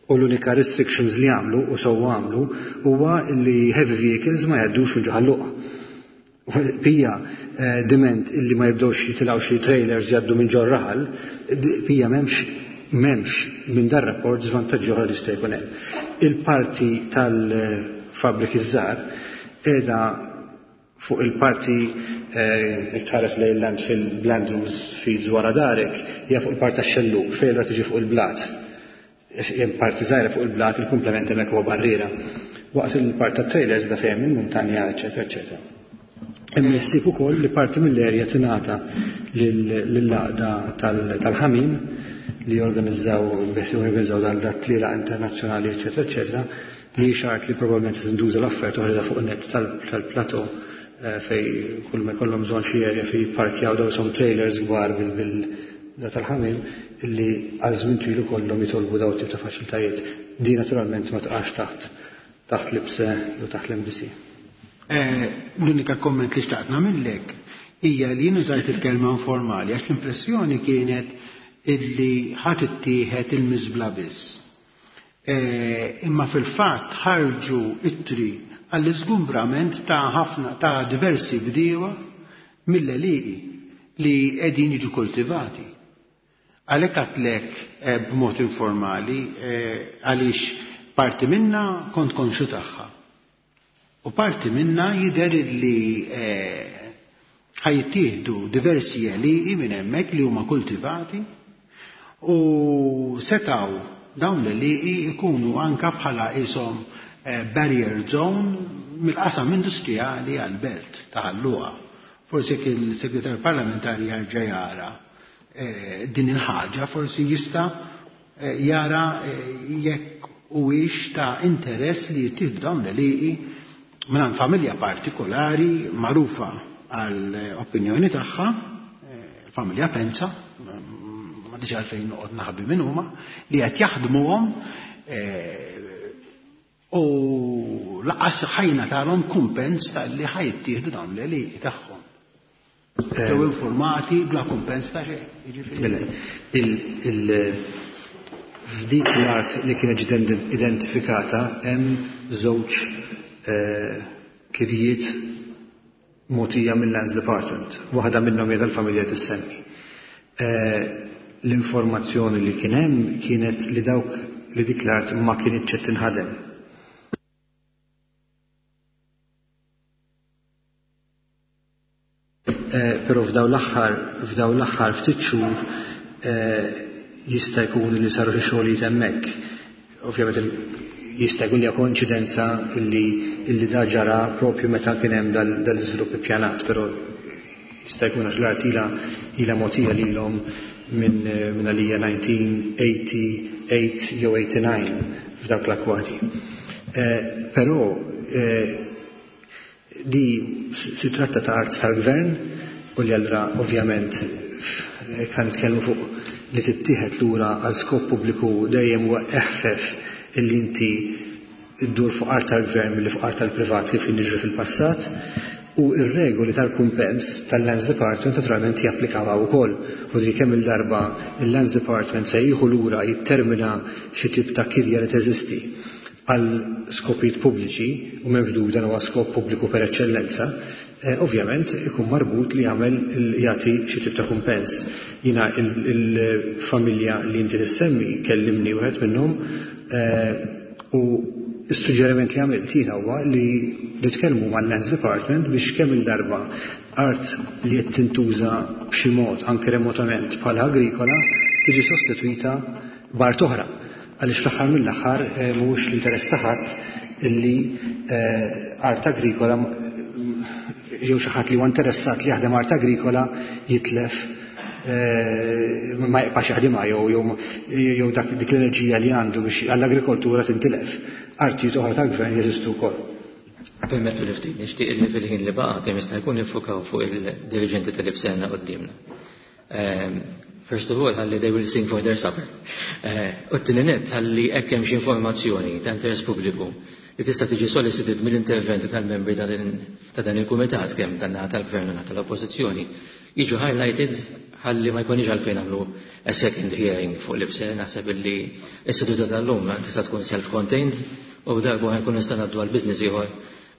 U l-unika restrictions li għamlu u sewwa għamlu huwa li heavy vehicles ma jgħaddux minn ġo Ħal Luqa. Pija diment illi ma jibdewx jitilgħu xi trailers jgħaddu minn ġo raħal, pija m'hemmx m'hemmx minn dar rapport żvantaġġi oħra li jista' jkun hemm. Il-parti tal-fabriki żgħar qiegħda fuq il-parti tħares lejn landfill Blandrews Feeds wara darek, hija fuq il-parti tax-xellug fejn allura tiġi fuq il-blat. Hemm parti żgħira fuq il-blat, il-komplement hemmhekk huwa barriera. Waqt il-parti tat-trailers da fejn il-muntanja, eċċetera, eċċetera. Hemm il-ħsieb ukoll li parti mill-erja tingħata lill-għaqda tal-ħamim li jorganizzaw jorganizzaw dan dat-tlielaq internazzjonali, eċċetera, eċċetera, li art li probabbilment tinduża l-offerta oħra fuq net tal-plateau fej kull ma jkollhom bżonn xi area fej jipparkjaw daw som trailers kbar bil da tal-ħamim illi għal żmien twil ikollhom jitolbu daw tip ta' faċilitajiet. Di naturalment ma tqax taħt taħt l-I P S E jew taħt l-M D C. L-unika komment li xtaqt nagħmellek hija li jien użajt il-kelma informali għax l-impressjoni kienet illi ħadd ittieħed il-miżbla biss. Imma fil-fatt ħarġu ittri għall-iżgumbrament ta' ħafna ta' diversi bdiewa mill-għelieqi li qegħdin jiġu kultivati. Għalhekk għedtlek b'mod informali għaliex parti minna kont konxu tagħha. U parti minna jidher li ħajtieħdu diversi għelieqi minn hemmhekk li huma kultivati u setaw dawn l-għelieqi ikunu anka bħala ishom barrier zone mill-qasam industrijali għal-belt ta' Ħal Luqa. Forsi jekk il-segretar parlamentari jarġa' jara din il-ħaġa, forsi jista' jara jekk huwiex ta' interess li jittieħdu dawn l-għelieqi minn familja partikolari magħrufa għall-opinjoni tagħha, familja Penza, ma diġà għalfejn noqgħod naħbi minn huma, li qed jaħdmuhom u laqas ħajna talhom kumpens tal-li ħajttieħdu dawn l-għelieqi tagħhom. Ġew informati bla kumpens ta' xejn. F'dik l-art li kienet ġiet identifikata hemm żewġ kirjiet mogħtija mill-Lands Department. Waħda minnhom hija tal-familja tissemmi. L-informazzjoni li kien hemm kienet li dawk li dik l-art ma kienitx qed tinħadem. Però f'daw l-aħħar f'daw l-aħħar ftit xhur jista' jkun li saru xi xogħlijiet hemmhekk. Ovvjament Jista' jkun hija koinċidenza illi illi da ġara propju meta kien hemm dal-iżvilupp ippjanat, però jista' jkun għax l-art ilha ilha mogħtija lilhom minn minn għalija elf disa' mija tmienja u tmenin jew tmienja u disgħin f'dak l-akwati. Però di si tratta ta' art tal-gvern u li allura ovvjament kan nitkellmu fuq li tittieħed lura għal skop pubbliku, dejjem huwa eħfef illi inti iddur fuq art tal-gvern milli fuq art tal-privat, kif jiġri fil-passat, u ir-regoli tal-kumpens tal-Lands Department naturalment japplikaw ukoll. U di kemm il-darba il-Lands Department se jieħu lura, jittermina xi tip ta' kirja li teżisti għal skopijiet pubbliċi, u m'hemmx dubju dan huwa skop pubbliku per eċċellenza, eh, ovvjament ikun marbut li jagħmel jagħti xi tip ta' kumpens. Jiena il-familja li inti tissemmi kellimni wieħed minnhom eh, u s-suġġeriment li għamilt jiena huwa li nitkellmu mal-Lands Department biex kemm il-darba art li qed tintuża b'xi mod anke remotament bħala agrikola tiġi sostitwita b'art oħra. Għaliex fl-aħħar mill-aħħar eh, mhuwiex l-interess ta' ħadd illi eh, art agrikola jew xi ħadd li huwa interessat li jaħdem art agrikola jitlef, eh, ma jibqax jaħdimha jew jew dak dik l-enerġija li għandu biex għall-agrikoltura tintilef. Artijiet oħra tal-gvern jeżistu wkoll. Permettu li ftit nixtieq li fil-ħin li baqa' kemm jista' jkun nifukaw fuq il-dirigenti tal-IBSE għandna quddiemna. Ehm, first of all, ħalli they will sing for their supper. Eh, u t-tieni nett, ħalli hekk hemm xi informazzjoni ta' interess pubbliku li tista' tiġi solicited mill-interventi tal-membri ta' dan il-kumitat, kemm tan-naħa tal-gvern u tal-oppożizzjoni, jiġu highlighted ħalli ma jkunx għalfejn nagħmlu a second hearing fuq l-IBSE. Naħseb illi s-seduta tal-lum tista' tkun self-contained u darba ħa nkun nista' ngħaddu għal business ieħor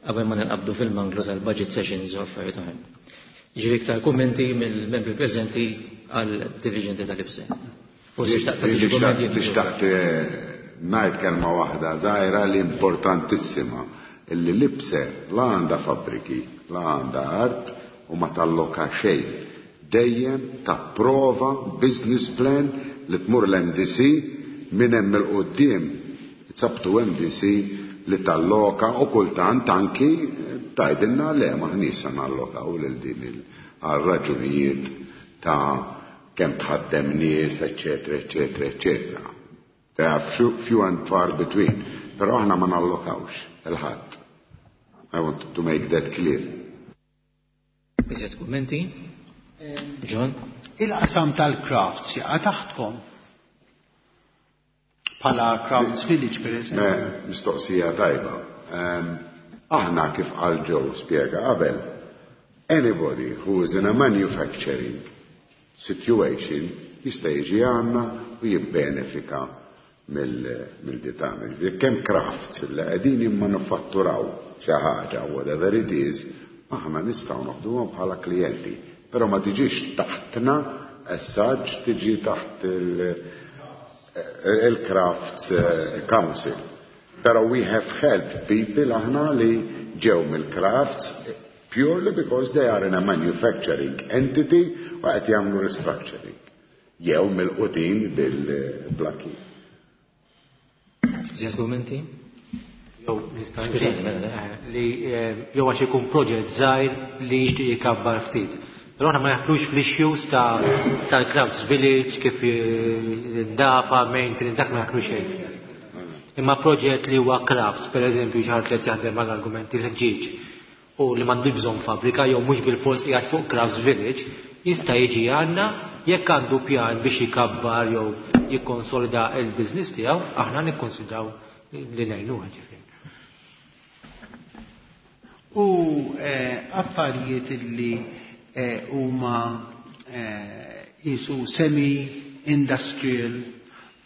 qabel ma ninqabdu fil-manglu tal-budget sessions u affarijiet oħra. Jiġifieri iktar kummenti mill-membri preżenti għal dirigenti tal-IBSE. Forsi xtaqt tagħti kummenti. Xtaqt ngħid kelma waħda żgħira li importantissima, illi l-IBSE la għandha fabbriki, la għandha art u ma talloka xejn. Dejjem tapprova business plan li tmur l-M D C. Minn hemm 'il quddiem it's up to M D C li talloka u kultant anki tgħidilna le, m'aħniex se nallokaw lil din għal raġunijiet ta' kemm tħaddem nies, eċetera, eċetera, eċetera. They are few, few and far between. Però aħna ma nallokawx lil ħadd. I want to make that clear. Iżjed kummenti? John? Il-qasam tal-crafts jaqa' taħtkom? Bħala Crafts Village, per eżempju. Mistoqsija tajba. Aħna, kif qal Joe, spiega qabel, anybody who is in a manufacturing situation jista' jiġi għandna u jibbenefika mill-ditana. Kemm crafts li qegħdin jimmanufatturaw xi ħaġa, whatever it is, aħna nistgħu noħduhom bħala klijenti. Però ma tiġix taħtna as such, tiġi taħt il-Crafts Council. Però we have helped people aħna li ġew mill-crafts purely because they are in a manufacturing entity u qed jagħmlu restructuring. Jew mill-qutin bil-blaki. Iżjed kummenti? Jew nista' li jew għax ikun proġett żgħir li jixtieq jikabbar ftit. Però aħna ma naħtlux fl-issues ta' tal-Crafts Village, kif dafa, maintenance, dak ma naħtlux xejn. Imma proġett li huwa crafts, per eżempju, xi ħadd li qed jaħdem mal-argumenti l-ħġieġ u li m'għandu bżonn fabbrika jew mhux bil-fors qiegħed fuq Crafts Village, jista' jiġi għandna jekk għandu pjan biex jikabbar jew jikkonsolida il-business tiegħu, aħna nikkonsidraw li ngħinuha ġifieri. U affarijiet li huma jisu semi-industrial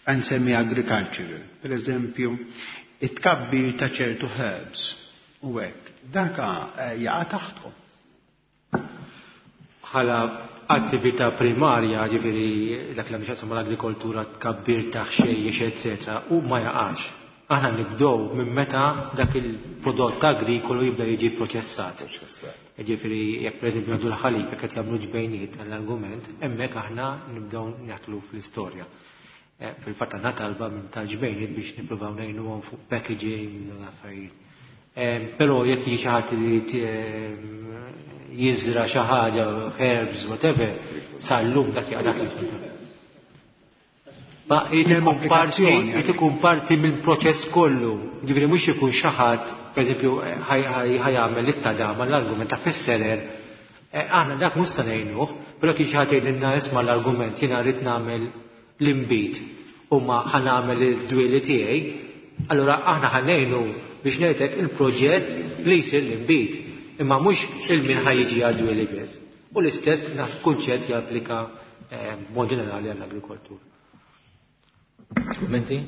and semi-agricultural. Per eżempju, it-tkabbir ta' ċertu herbs u hekk. Daka jaqa' taħtkom? Bħala attività primarja, ġifieri dak li għandu mal-agrikoltura, tkabbir ta' ħxejjex, eccetera, u ma jaqax. Aħna nibdew minn meta dak il-prodott agrikolu jibda jiġi proċessat. Ġifieri jekk pereżempju nagħtu l-ħalib, jekk qed jagħmlu ġbejniet għall-argument, hemmhekk aħna nibdew naħtlu fl-istorja. Eh, fil-fatt għandna talba minn tal-ġbejniet biex nippruvaw ngħinuhom fuq packaging u affarijiet. Eh, però jekk jiġi xi ħadd li jiżra xi ħaġa, herbs, whatever, sal-lum dak jaqgħad il Ma jrid ikun parti mill-proċess kollu. Ġifieri mhux ikun xi ħadd, pereżempju, ħa jagħmel it-tadama l-argument ta' fisserer. Aħna dak mhux se ngħinuh, però kien xi ħadd jgħidilna isma' l-argument jiena rrid nagħmel l-inbid u ma ħa nagħmel id-dwieli tiegħi, allura aħna ħa ngħinu biex ngħidlek il-proġett li jsir l-inbid, imma mhux il-min ħa jiġi għad-dwieli biss. U l-istess naf kunċett japplika b'mod ġenerali għall-agrikoltura. Kummenti?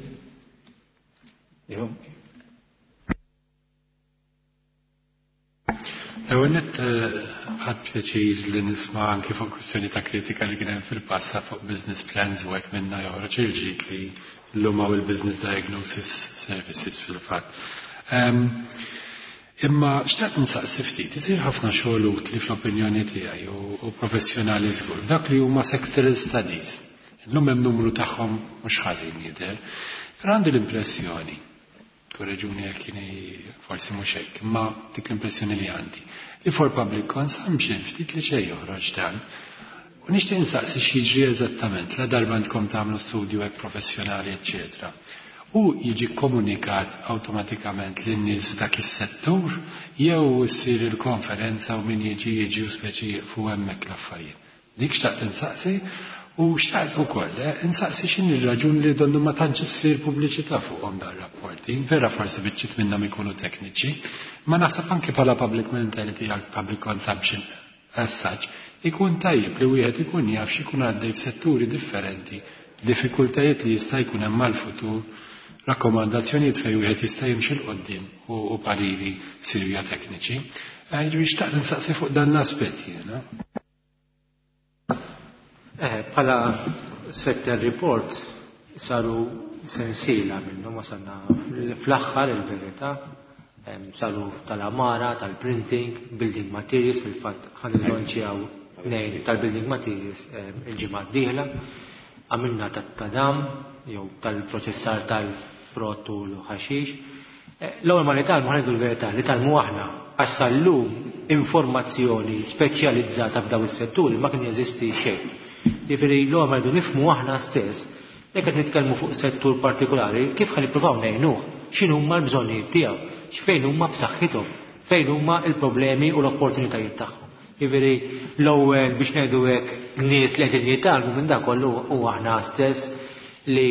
Jo. L-ewwel nett ħadt pjaċir li nisma' anki fuq kwistjoni ta' kritika li kien hemm fil-passat fuq business plans u hekk minna joħroġ il-ġid li llum hawn il-business diagnosis services fil-fatt. Imma xtaqt nsaqsi ftit, isir ħafna xogħol utli fl-opinjoni tiegħi u professjonali żgur, dak li huma sectoral studies. Illum hemm numru tagħhom mhux ħażin jidher, però għandi l-impressjoni, korreġuni jekk jieni forsi mhux hekk, imma dik l-impressjoni li għandi, li for public consumption ftit li xejn joħroġ dan. U nixtieq insaqsi x'jiġri eżattament la darba għandkom tagħmlu studju hekk professjonali, eċċetera. U jiġi komunikat awtomatikament lin-nies f'dak is-settur jew issir il-konferenza u min jiġi jiġi u speċi jieqfu hemmhekk l-affarijiet. Dik xtaqt insaqsi u xtaqt ukoll insaqsi x'inhi r-raġun li donnu ma tantx issir pubbliċità fuqhom dan rapporti. Vera forsi biċċiet minnhom ikunu tekniċi, ma naħseb anke bħala public mentality għal public consumption as such, ikun tajjeb li wieħed ikun jaf x'ikun għaddej f'setturi differenti, diffikultajiet li jista' jkun hemm mal-futur, rakkomandazzjonijiet fejn wieħed jista' jimxi 'l quddiem u pariri sirja tekniċi. Ġifieri xtaqt insaqsi fuq dan l-aspett jiena. Bħala sector report saru sensiela minnhom wasalna fl-aħħar il-verità, saru tal-amara, tal-printing, building materials, fil-fatt ħa nillonċjaw nejn tal-building materials il-ġimgħa d-dieħla, għamilna tat-tadam jew tal-proċessar tal-frott u l-ħaxix. L-ewwel ma nitgħallmu ħa ngħidu l-verità, nitgħallmu aħna għax sal-lum informazzjoni speċjalizzata f'daw is-setturi ma kien jeżisti xejn. Jiġifieri l-ewwel ma rridu nifhmu aħna stess, jekk qed nitkellmu fuq settur partikolari, kif ħa nippruvaw ngħinuh, x'inhu huma l-bżonnijiet tiegħu, x'fejn huma b'saħħithom, fejn huma l-problemi u l-opportunitajiet tagħhom. Jiġifieri l-ewwel biex ngħidu hekk nies li qegħdin jitgħallmu minn dak kollu hu aħna stess li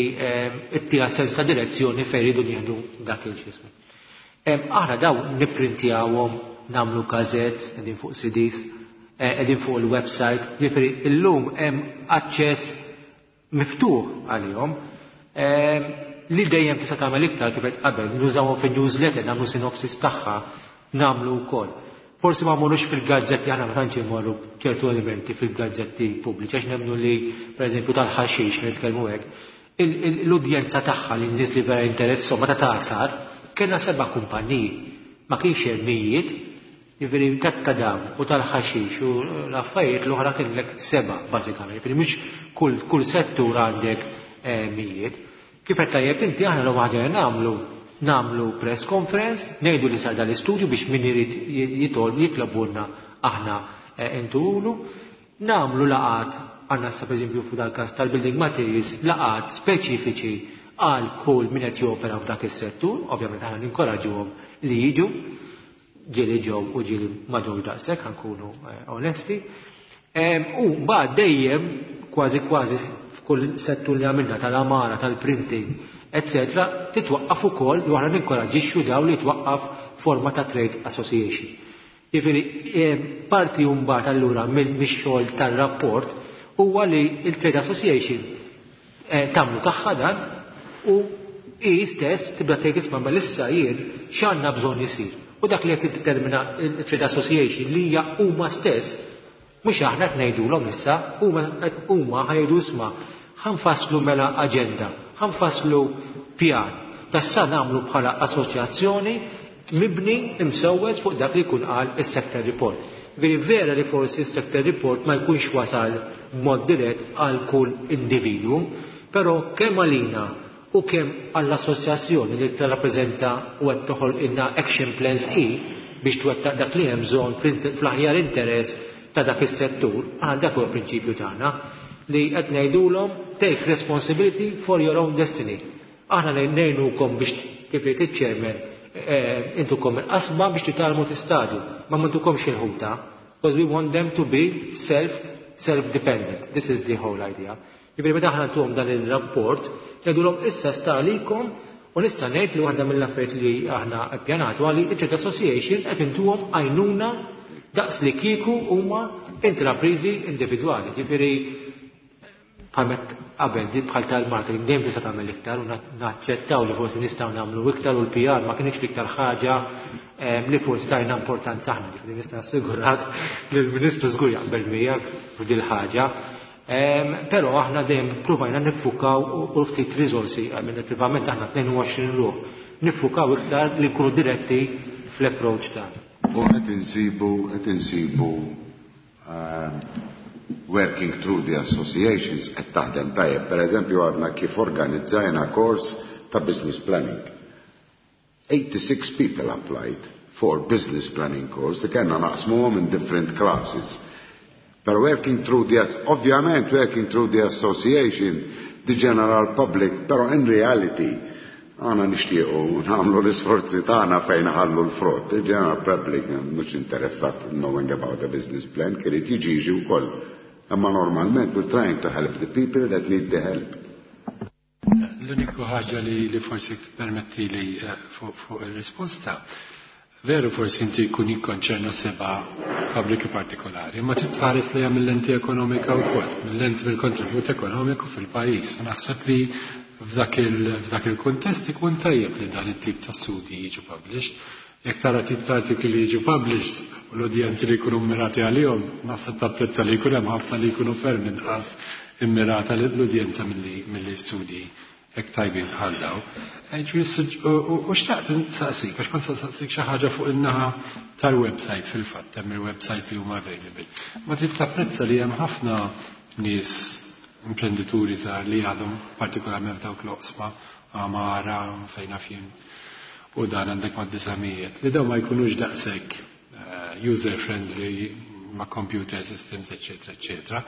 ttiha sens ta' direzzjoni fejn iridu nieħdu dak il-xismu. Aħna daw nipprintjawhom, nagħmlu gazzettes, qegħdin fuq C Ds, qegħdin fuq il-website, jiġifieri llum hemm aċċess miftuħ għalihom li dejjem tista' tagħmel iktar kif qed qabel, nużawhom fin-newsletter, nagħmlu sinopsis tagħha, nagħmlu wkoll. Forsi ma mmorrux fil-gazzetti, aħna ma tantx immorru ċertu elementi fil-gazzetti pubbliċi, għax nemmnu li pereżempju tal-ħaxix nitkellmu hekk, l-udjenza tagħha li n-nies li vera interesshom meta tagħsar, kellna seba' kumpaniji, ma kienx hemm mijiet, jiġifieri tat-tadam u tal-ħaxix u l-affarijiet l-oħra kellek seba' bażikament, jiġifieri mhux kull, kull settur għandek mijiet. Kif qed tajjeb inti aħna l ħaġa li nagħmlu, nagħmlu press conference, ngħidu li sar dal-istudju biex min irid jitolb jitlobulna aħna intulu, nagħmlu laqat, għandna sa pereżempju fuq dal-każ tal-building materials, laqat speċifiċi għal kull min qed jopera f'dak is-settur, ovvjament aħna ninkoraġġuhom li jiġu, ġieli ġew u ġieli ma ġewx daqshekk, ħankunu onesti. U mbagħad dejjem kważi kważi f'kull settur li għamilna tal-amara, tal-printing, eccetera, titwaqqaf ukoll u aħna ninkoraġġixxu daw li twaqqaf forma ta' trade association. Jiġifieri parti mbagħad allura mix-xogħol tar-rapport huwa li l-Trade Association tagħmlu tagħha dan u hi stess tibda tgħid isma' mela issa jien x'għandna bżonn isir. U dak li qed tiddetermina l-Trade Association li hija huma stess, mhux aħna qed ngħidulhom issa, huma huma ħajdu isma' ħanfasslu mela aġenda, ħanfasslu pjan. Tassa nagħmlu bħala assoċjazzjoni mibni imsewwes fuq dak li jkun qal is-sector report. Veri vera li forsi s-sector report ma jkunx wasal b'mod dirett għal kull individwu, Però kemm għalina u kemm għall-assoċjazzjoni li tirrappreżenta u qed toħolqilna action plans i biex twettaq dak li hemm bżonn fl-aħjar interess ta' dak is-settur, għal dak huwa prinċipju tagħna li qed ngħidulhom take responsibility for your own destiny. Aħna ngħinukom biex kif jgħid iċ-chairman eh, intukom il-qasba biex titgħallmu tistadu, ma m'intukomx il-ħuta, because we want them to be self self-dependent. This is the whole idea. Jiġifieri meta aħna ntuhom dan il-rapport, ngħidulhom issa sta għalikom u nista' ngħid li waħda mill-affarijiet li aħna ppjanatu għali trade associations qed intuhom għajnuna daqs li kieku huma intrapriżi individwali. Ġifieri bħalmet qabel di bħal tal-marketing dejjem tista' tagħmel iktar u naċċettaw li forsi nistgħu nagħmlu iktar u l-P R ma kienx l-iktar ħaġa li forsi tajna importanza aħna. Ġifieri nista' nassigurak li l-Ministru żgur jaqbel miegħek f'dil ħaġa. Però aħna dejjem pruvajna niffukaw u ftit riżorsi, amministrativament aħna tnejn u għoxrin ruħ, niffukaw iktar li nkunu diretti fl-approach tagħna. U qed insibu qed insibu working through the associations qed taħdem tajjeb. Per eżempju, għadna kif organizzajna kors ta' business planning. eighty-six people applied for business planning course li kellna naqsmuhom in different classes. But working through the, ovvjament working through the association, the general public, pero in reality, aħna nixtiequ nagħmlu l-isforzi tagħna fejn ħallu l-frott. The general public mhux interessat knowing about the business plan, kien jiġi jiġi wkoll. Imma normalment we're trying to help the people that need the help. L-uniku ħaġa li, li forsi permetti li eh, fuq fu il-risposta, veru forsi inti jkun jikkonċerna seba' fabbriki partikolari, ma trid tħares li mill-lenti ekonomika wkoll, mill-lenti mill-kontribut ekonomiku fil-pajjiż. Naħseb li f'dak il-kuntest ikun tajjeb li dan it-tip ta' studji jiġu published. Jekk tara tip ta' artikli li jiġu published u l-udjenzi li jkunu mirati għalihom, naħseb tapprezza li jkun hemm ħafna li jkunu ferm inqas immirata l-udjenza milli studji hekk tajbin bħal daw. U xtaqt nsaqsik, għax kont saqsik xi ħaġa fuq in-naħa tal-website fil-fatt, hemm il-website li huma available. Ma trid tapprezza li hemm ħafna nies imprendituri żgħar li għadhom partikolarment dawk l-oqsma għamara fejn jien u dan għandek ma' disamijiet li daw ma jkunux daqshekk user friendly ma' computer systems, eccetera, eccetera.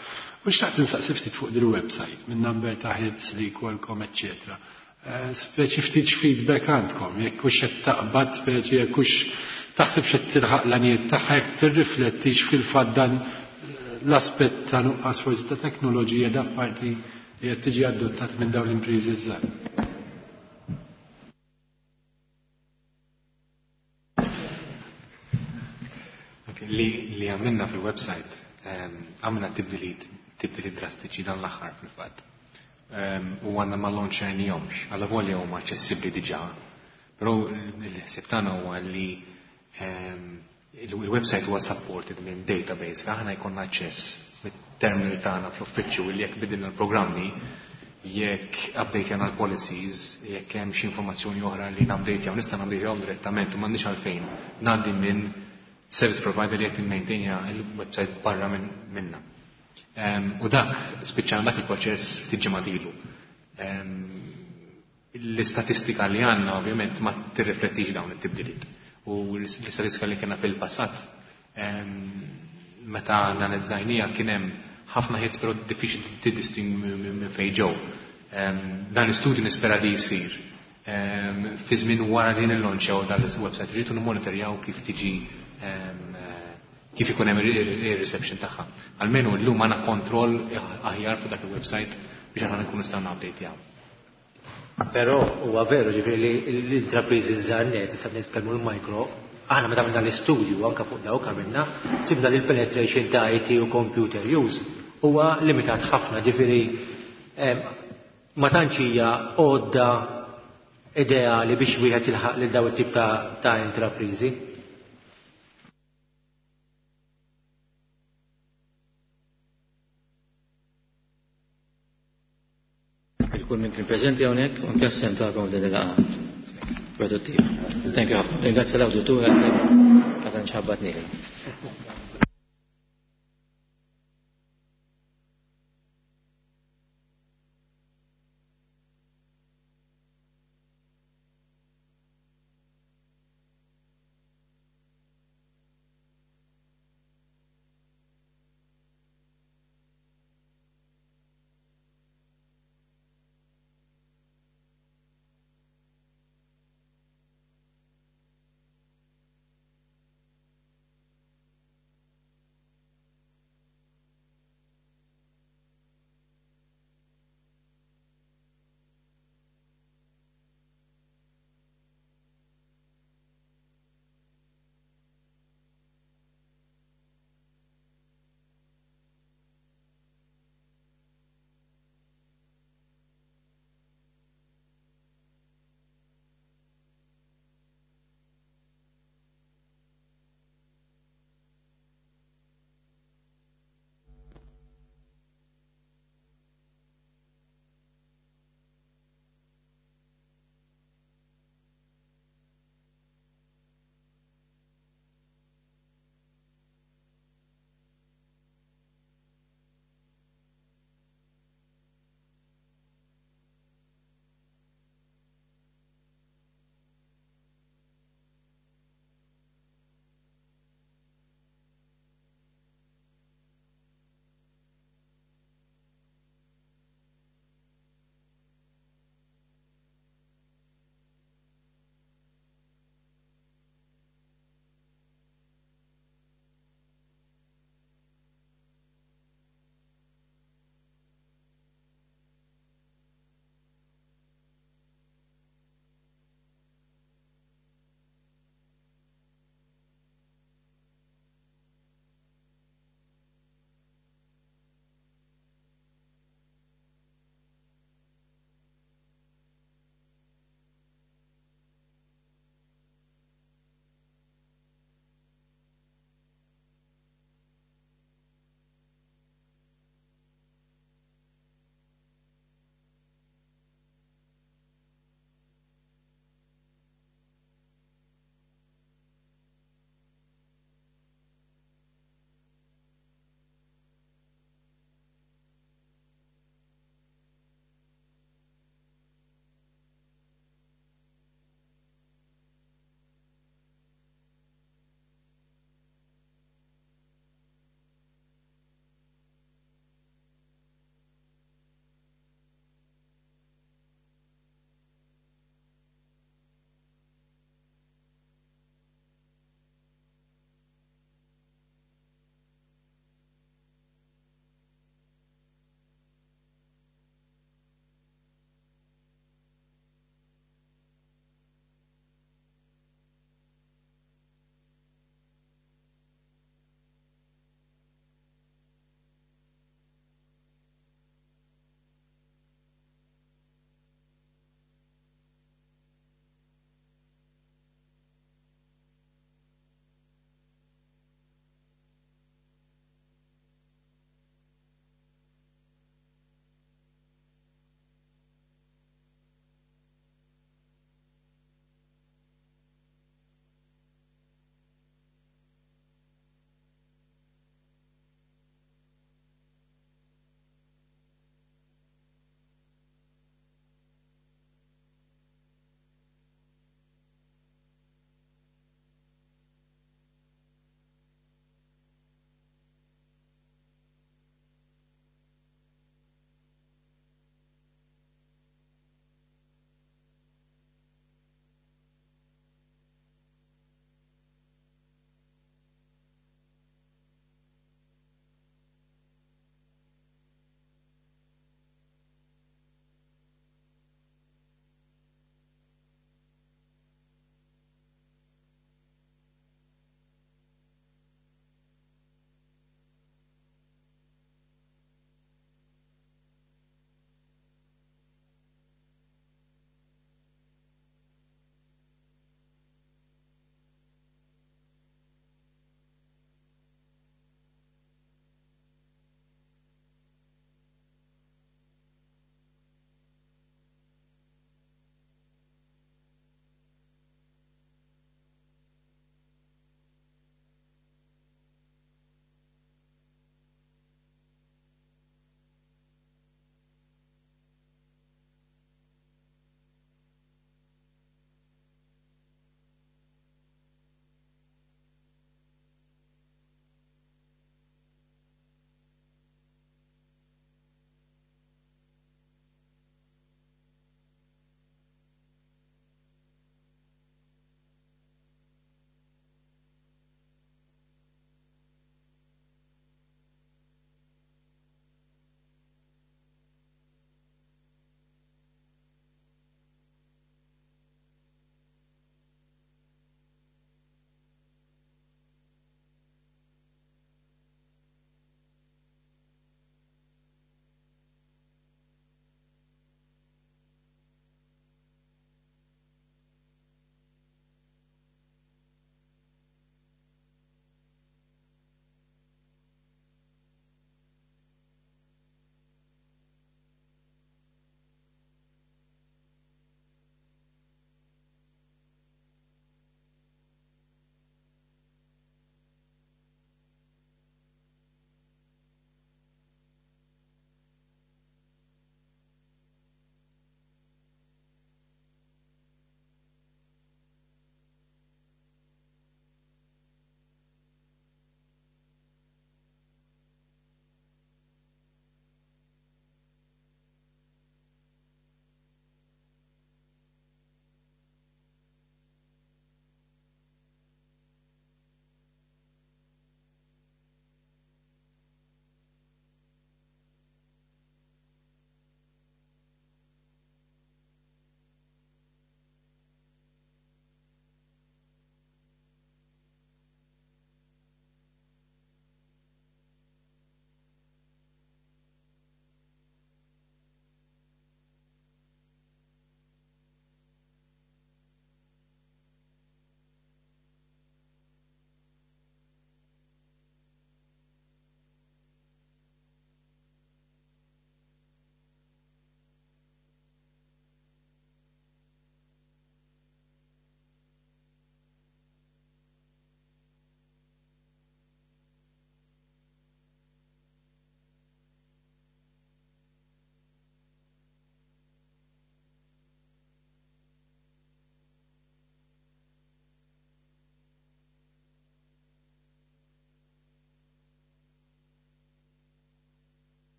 U xtaqt nsaqsi ftit fuq dil-website, minn number ta' hits li jkollkom, eccetera. Speċi ftit feedback għandkom, jekk hux qed taqbad, speċi jekk hux taħseb x'qed tilħaq l-għanijiet tagħha, jekk tirriflettix fil-fatt dan l-aspett ta' nuqqas forsi ta' teknoloġija da' parti li qed tiġi adottat minn dawn l-impriżi żgħar. Li, li għamilna fil-website, għamilna tibdiliet, tibdiliet drastiċi dan l-aħħar fil-fatt. U għandna ma launchajnihomx, għalla volja huma aċċessibbli diġà, però l-ħsieb tagħna huwa li il-website huwa supported minn database, aħna jkollna aċċess mit-terminal tagħna fl-uffiċċju li jekk bidilna l-programmi, jekk update l-policies, jekk hemm xi informazzjoni oħra li nupdate nista' nupdate direttament u m'għandniex għalfejn ngħaddi minn service provider li qed immaintainja il-website barra minn minna. U dak spiċċana dak il-proċess ftit ġimgħat ilu. L-istatistika li għandna ovvjament ma tirriflettix dawn it-tibdiliet. U l-istatistika li kellna fil-passat meta analizzajnija kien hemm ħafna hits, però diffiċli tiddistingwi minn fejn ġew. Dan l-istudju nispera li jsir fi żmien wara li nillonċjaw dan il-website, rridu nimmonitorjaw kif tiġi kif ikun hemm ir-reception tagħha. Almenu llum għandna kontroll aħjar fuq dak il-website biex aħna nkunu nistgħu update. Però huwa veru, ġifieri li l-intrapriżi żgħar net, issa nitkellmu l-micro, aħna meta għamilna l-istudju anke fuq dawk għamilna, sibna li l-penetration ta' I T u computer use huwa limitat ħafna, ġifieri ma tantx hija għodda ideali biex wieħed jilħaq lil daw it-tip ta', ta intrapriżi. Kull minn kien preżenti hawnhekk u anke s-sehem tagħkom din il-laqgħa produttiva. Thank you ħafna. Ringrazzja l-awditur għal ma tantx ħabbatni.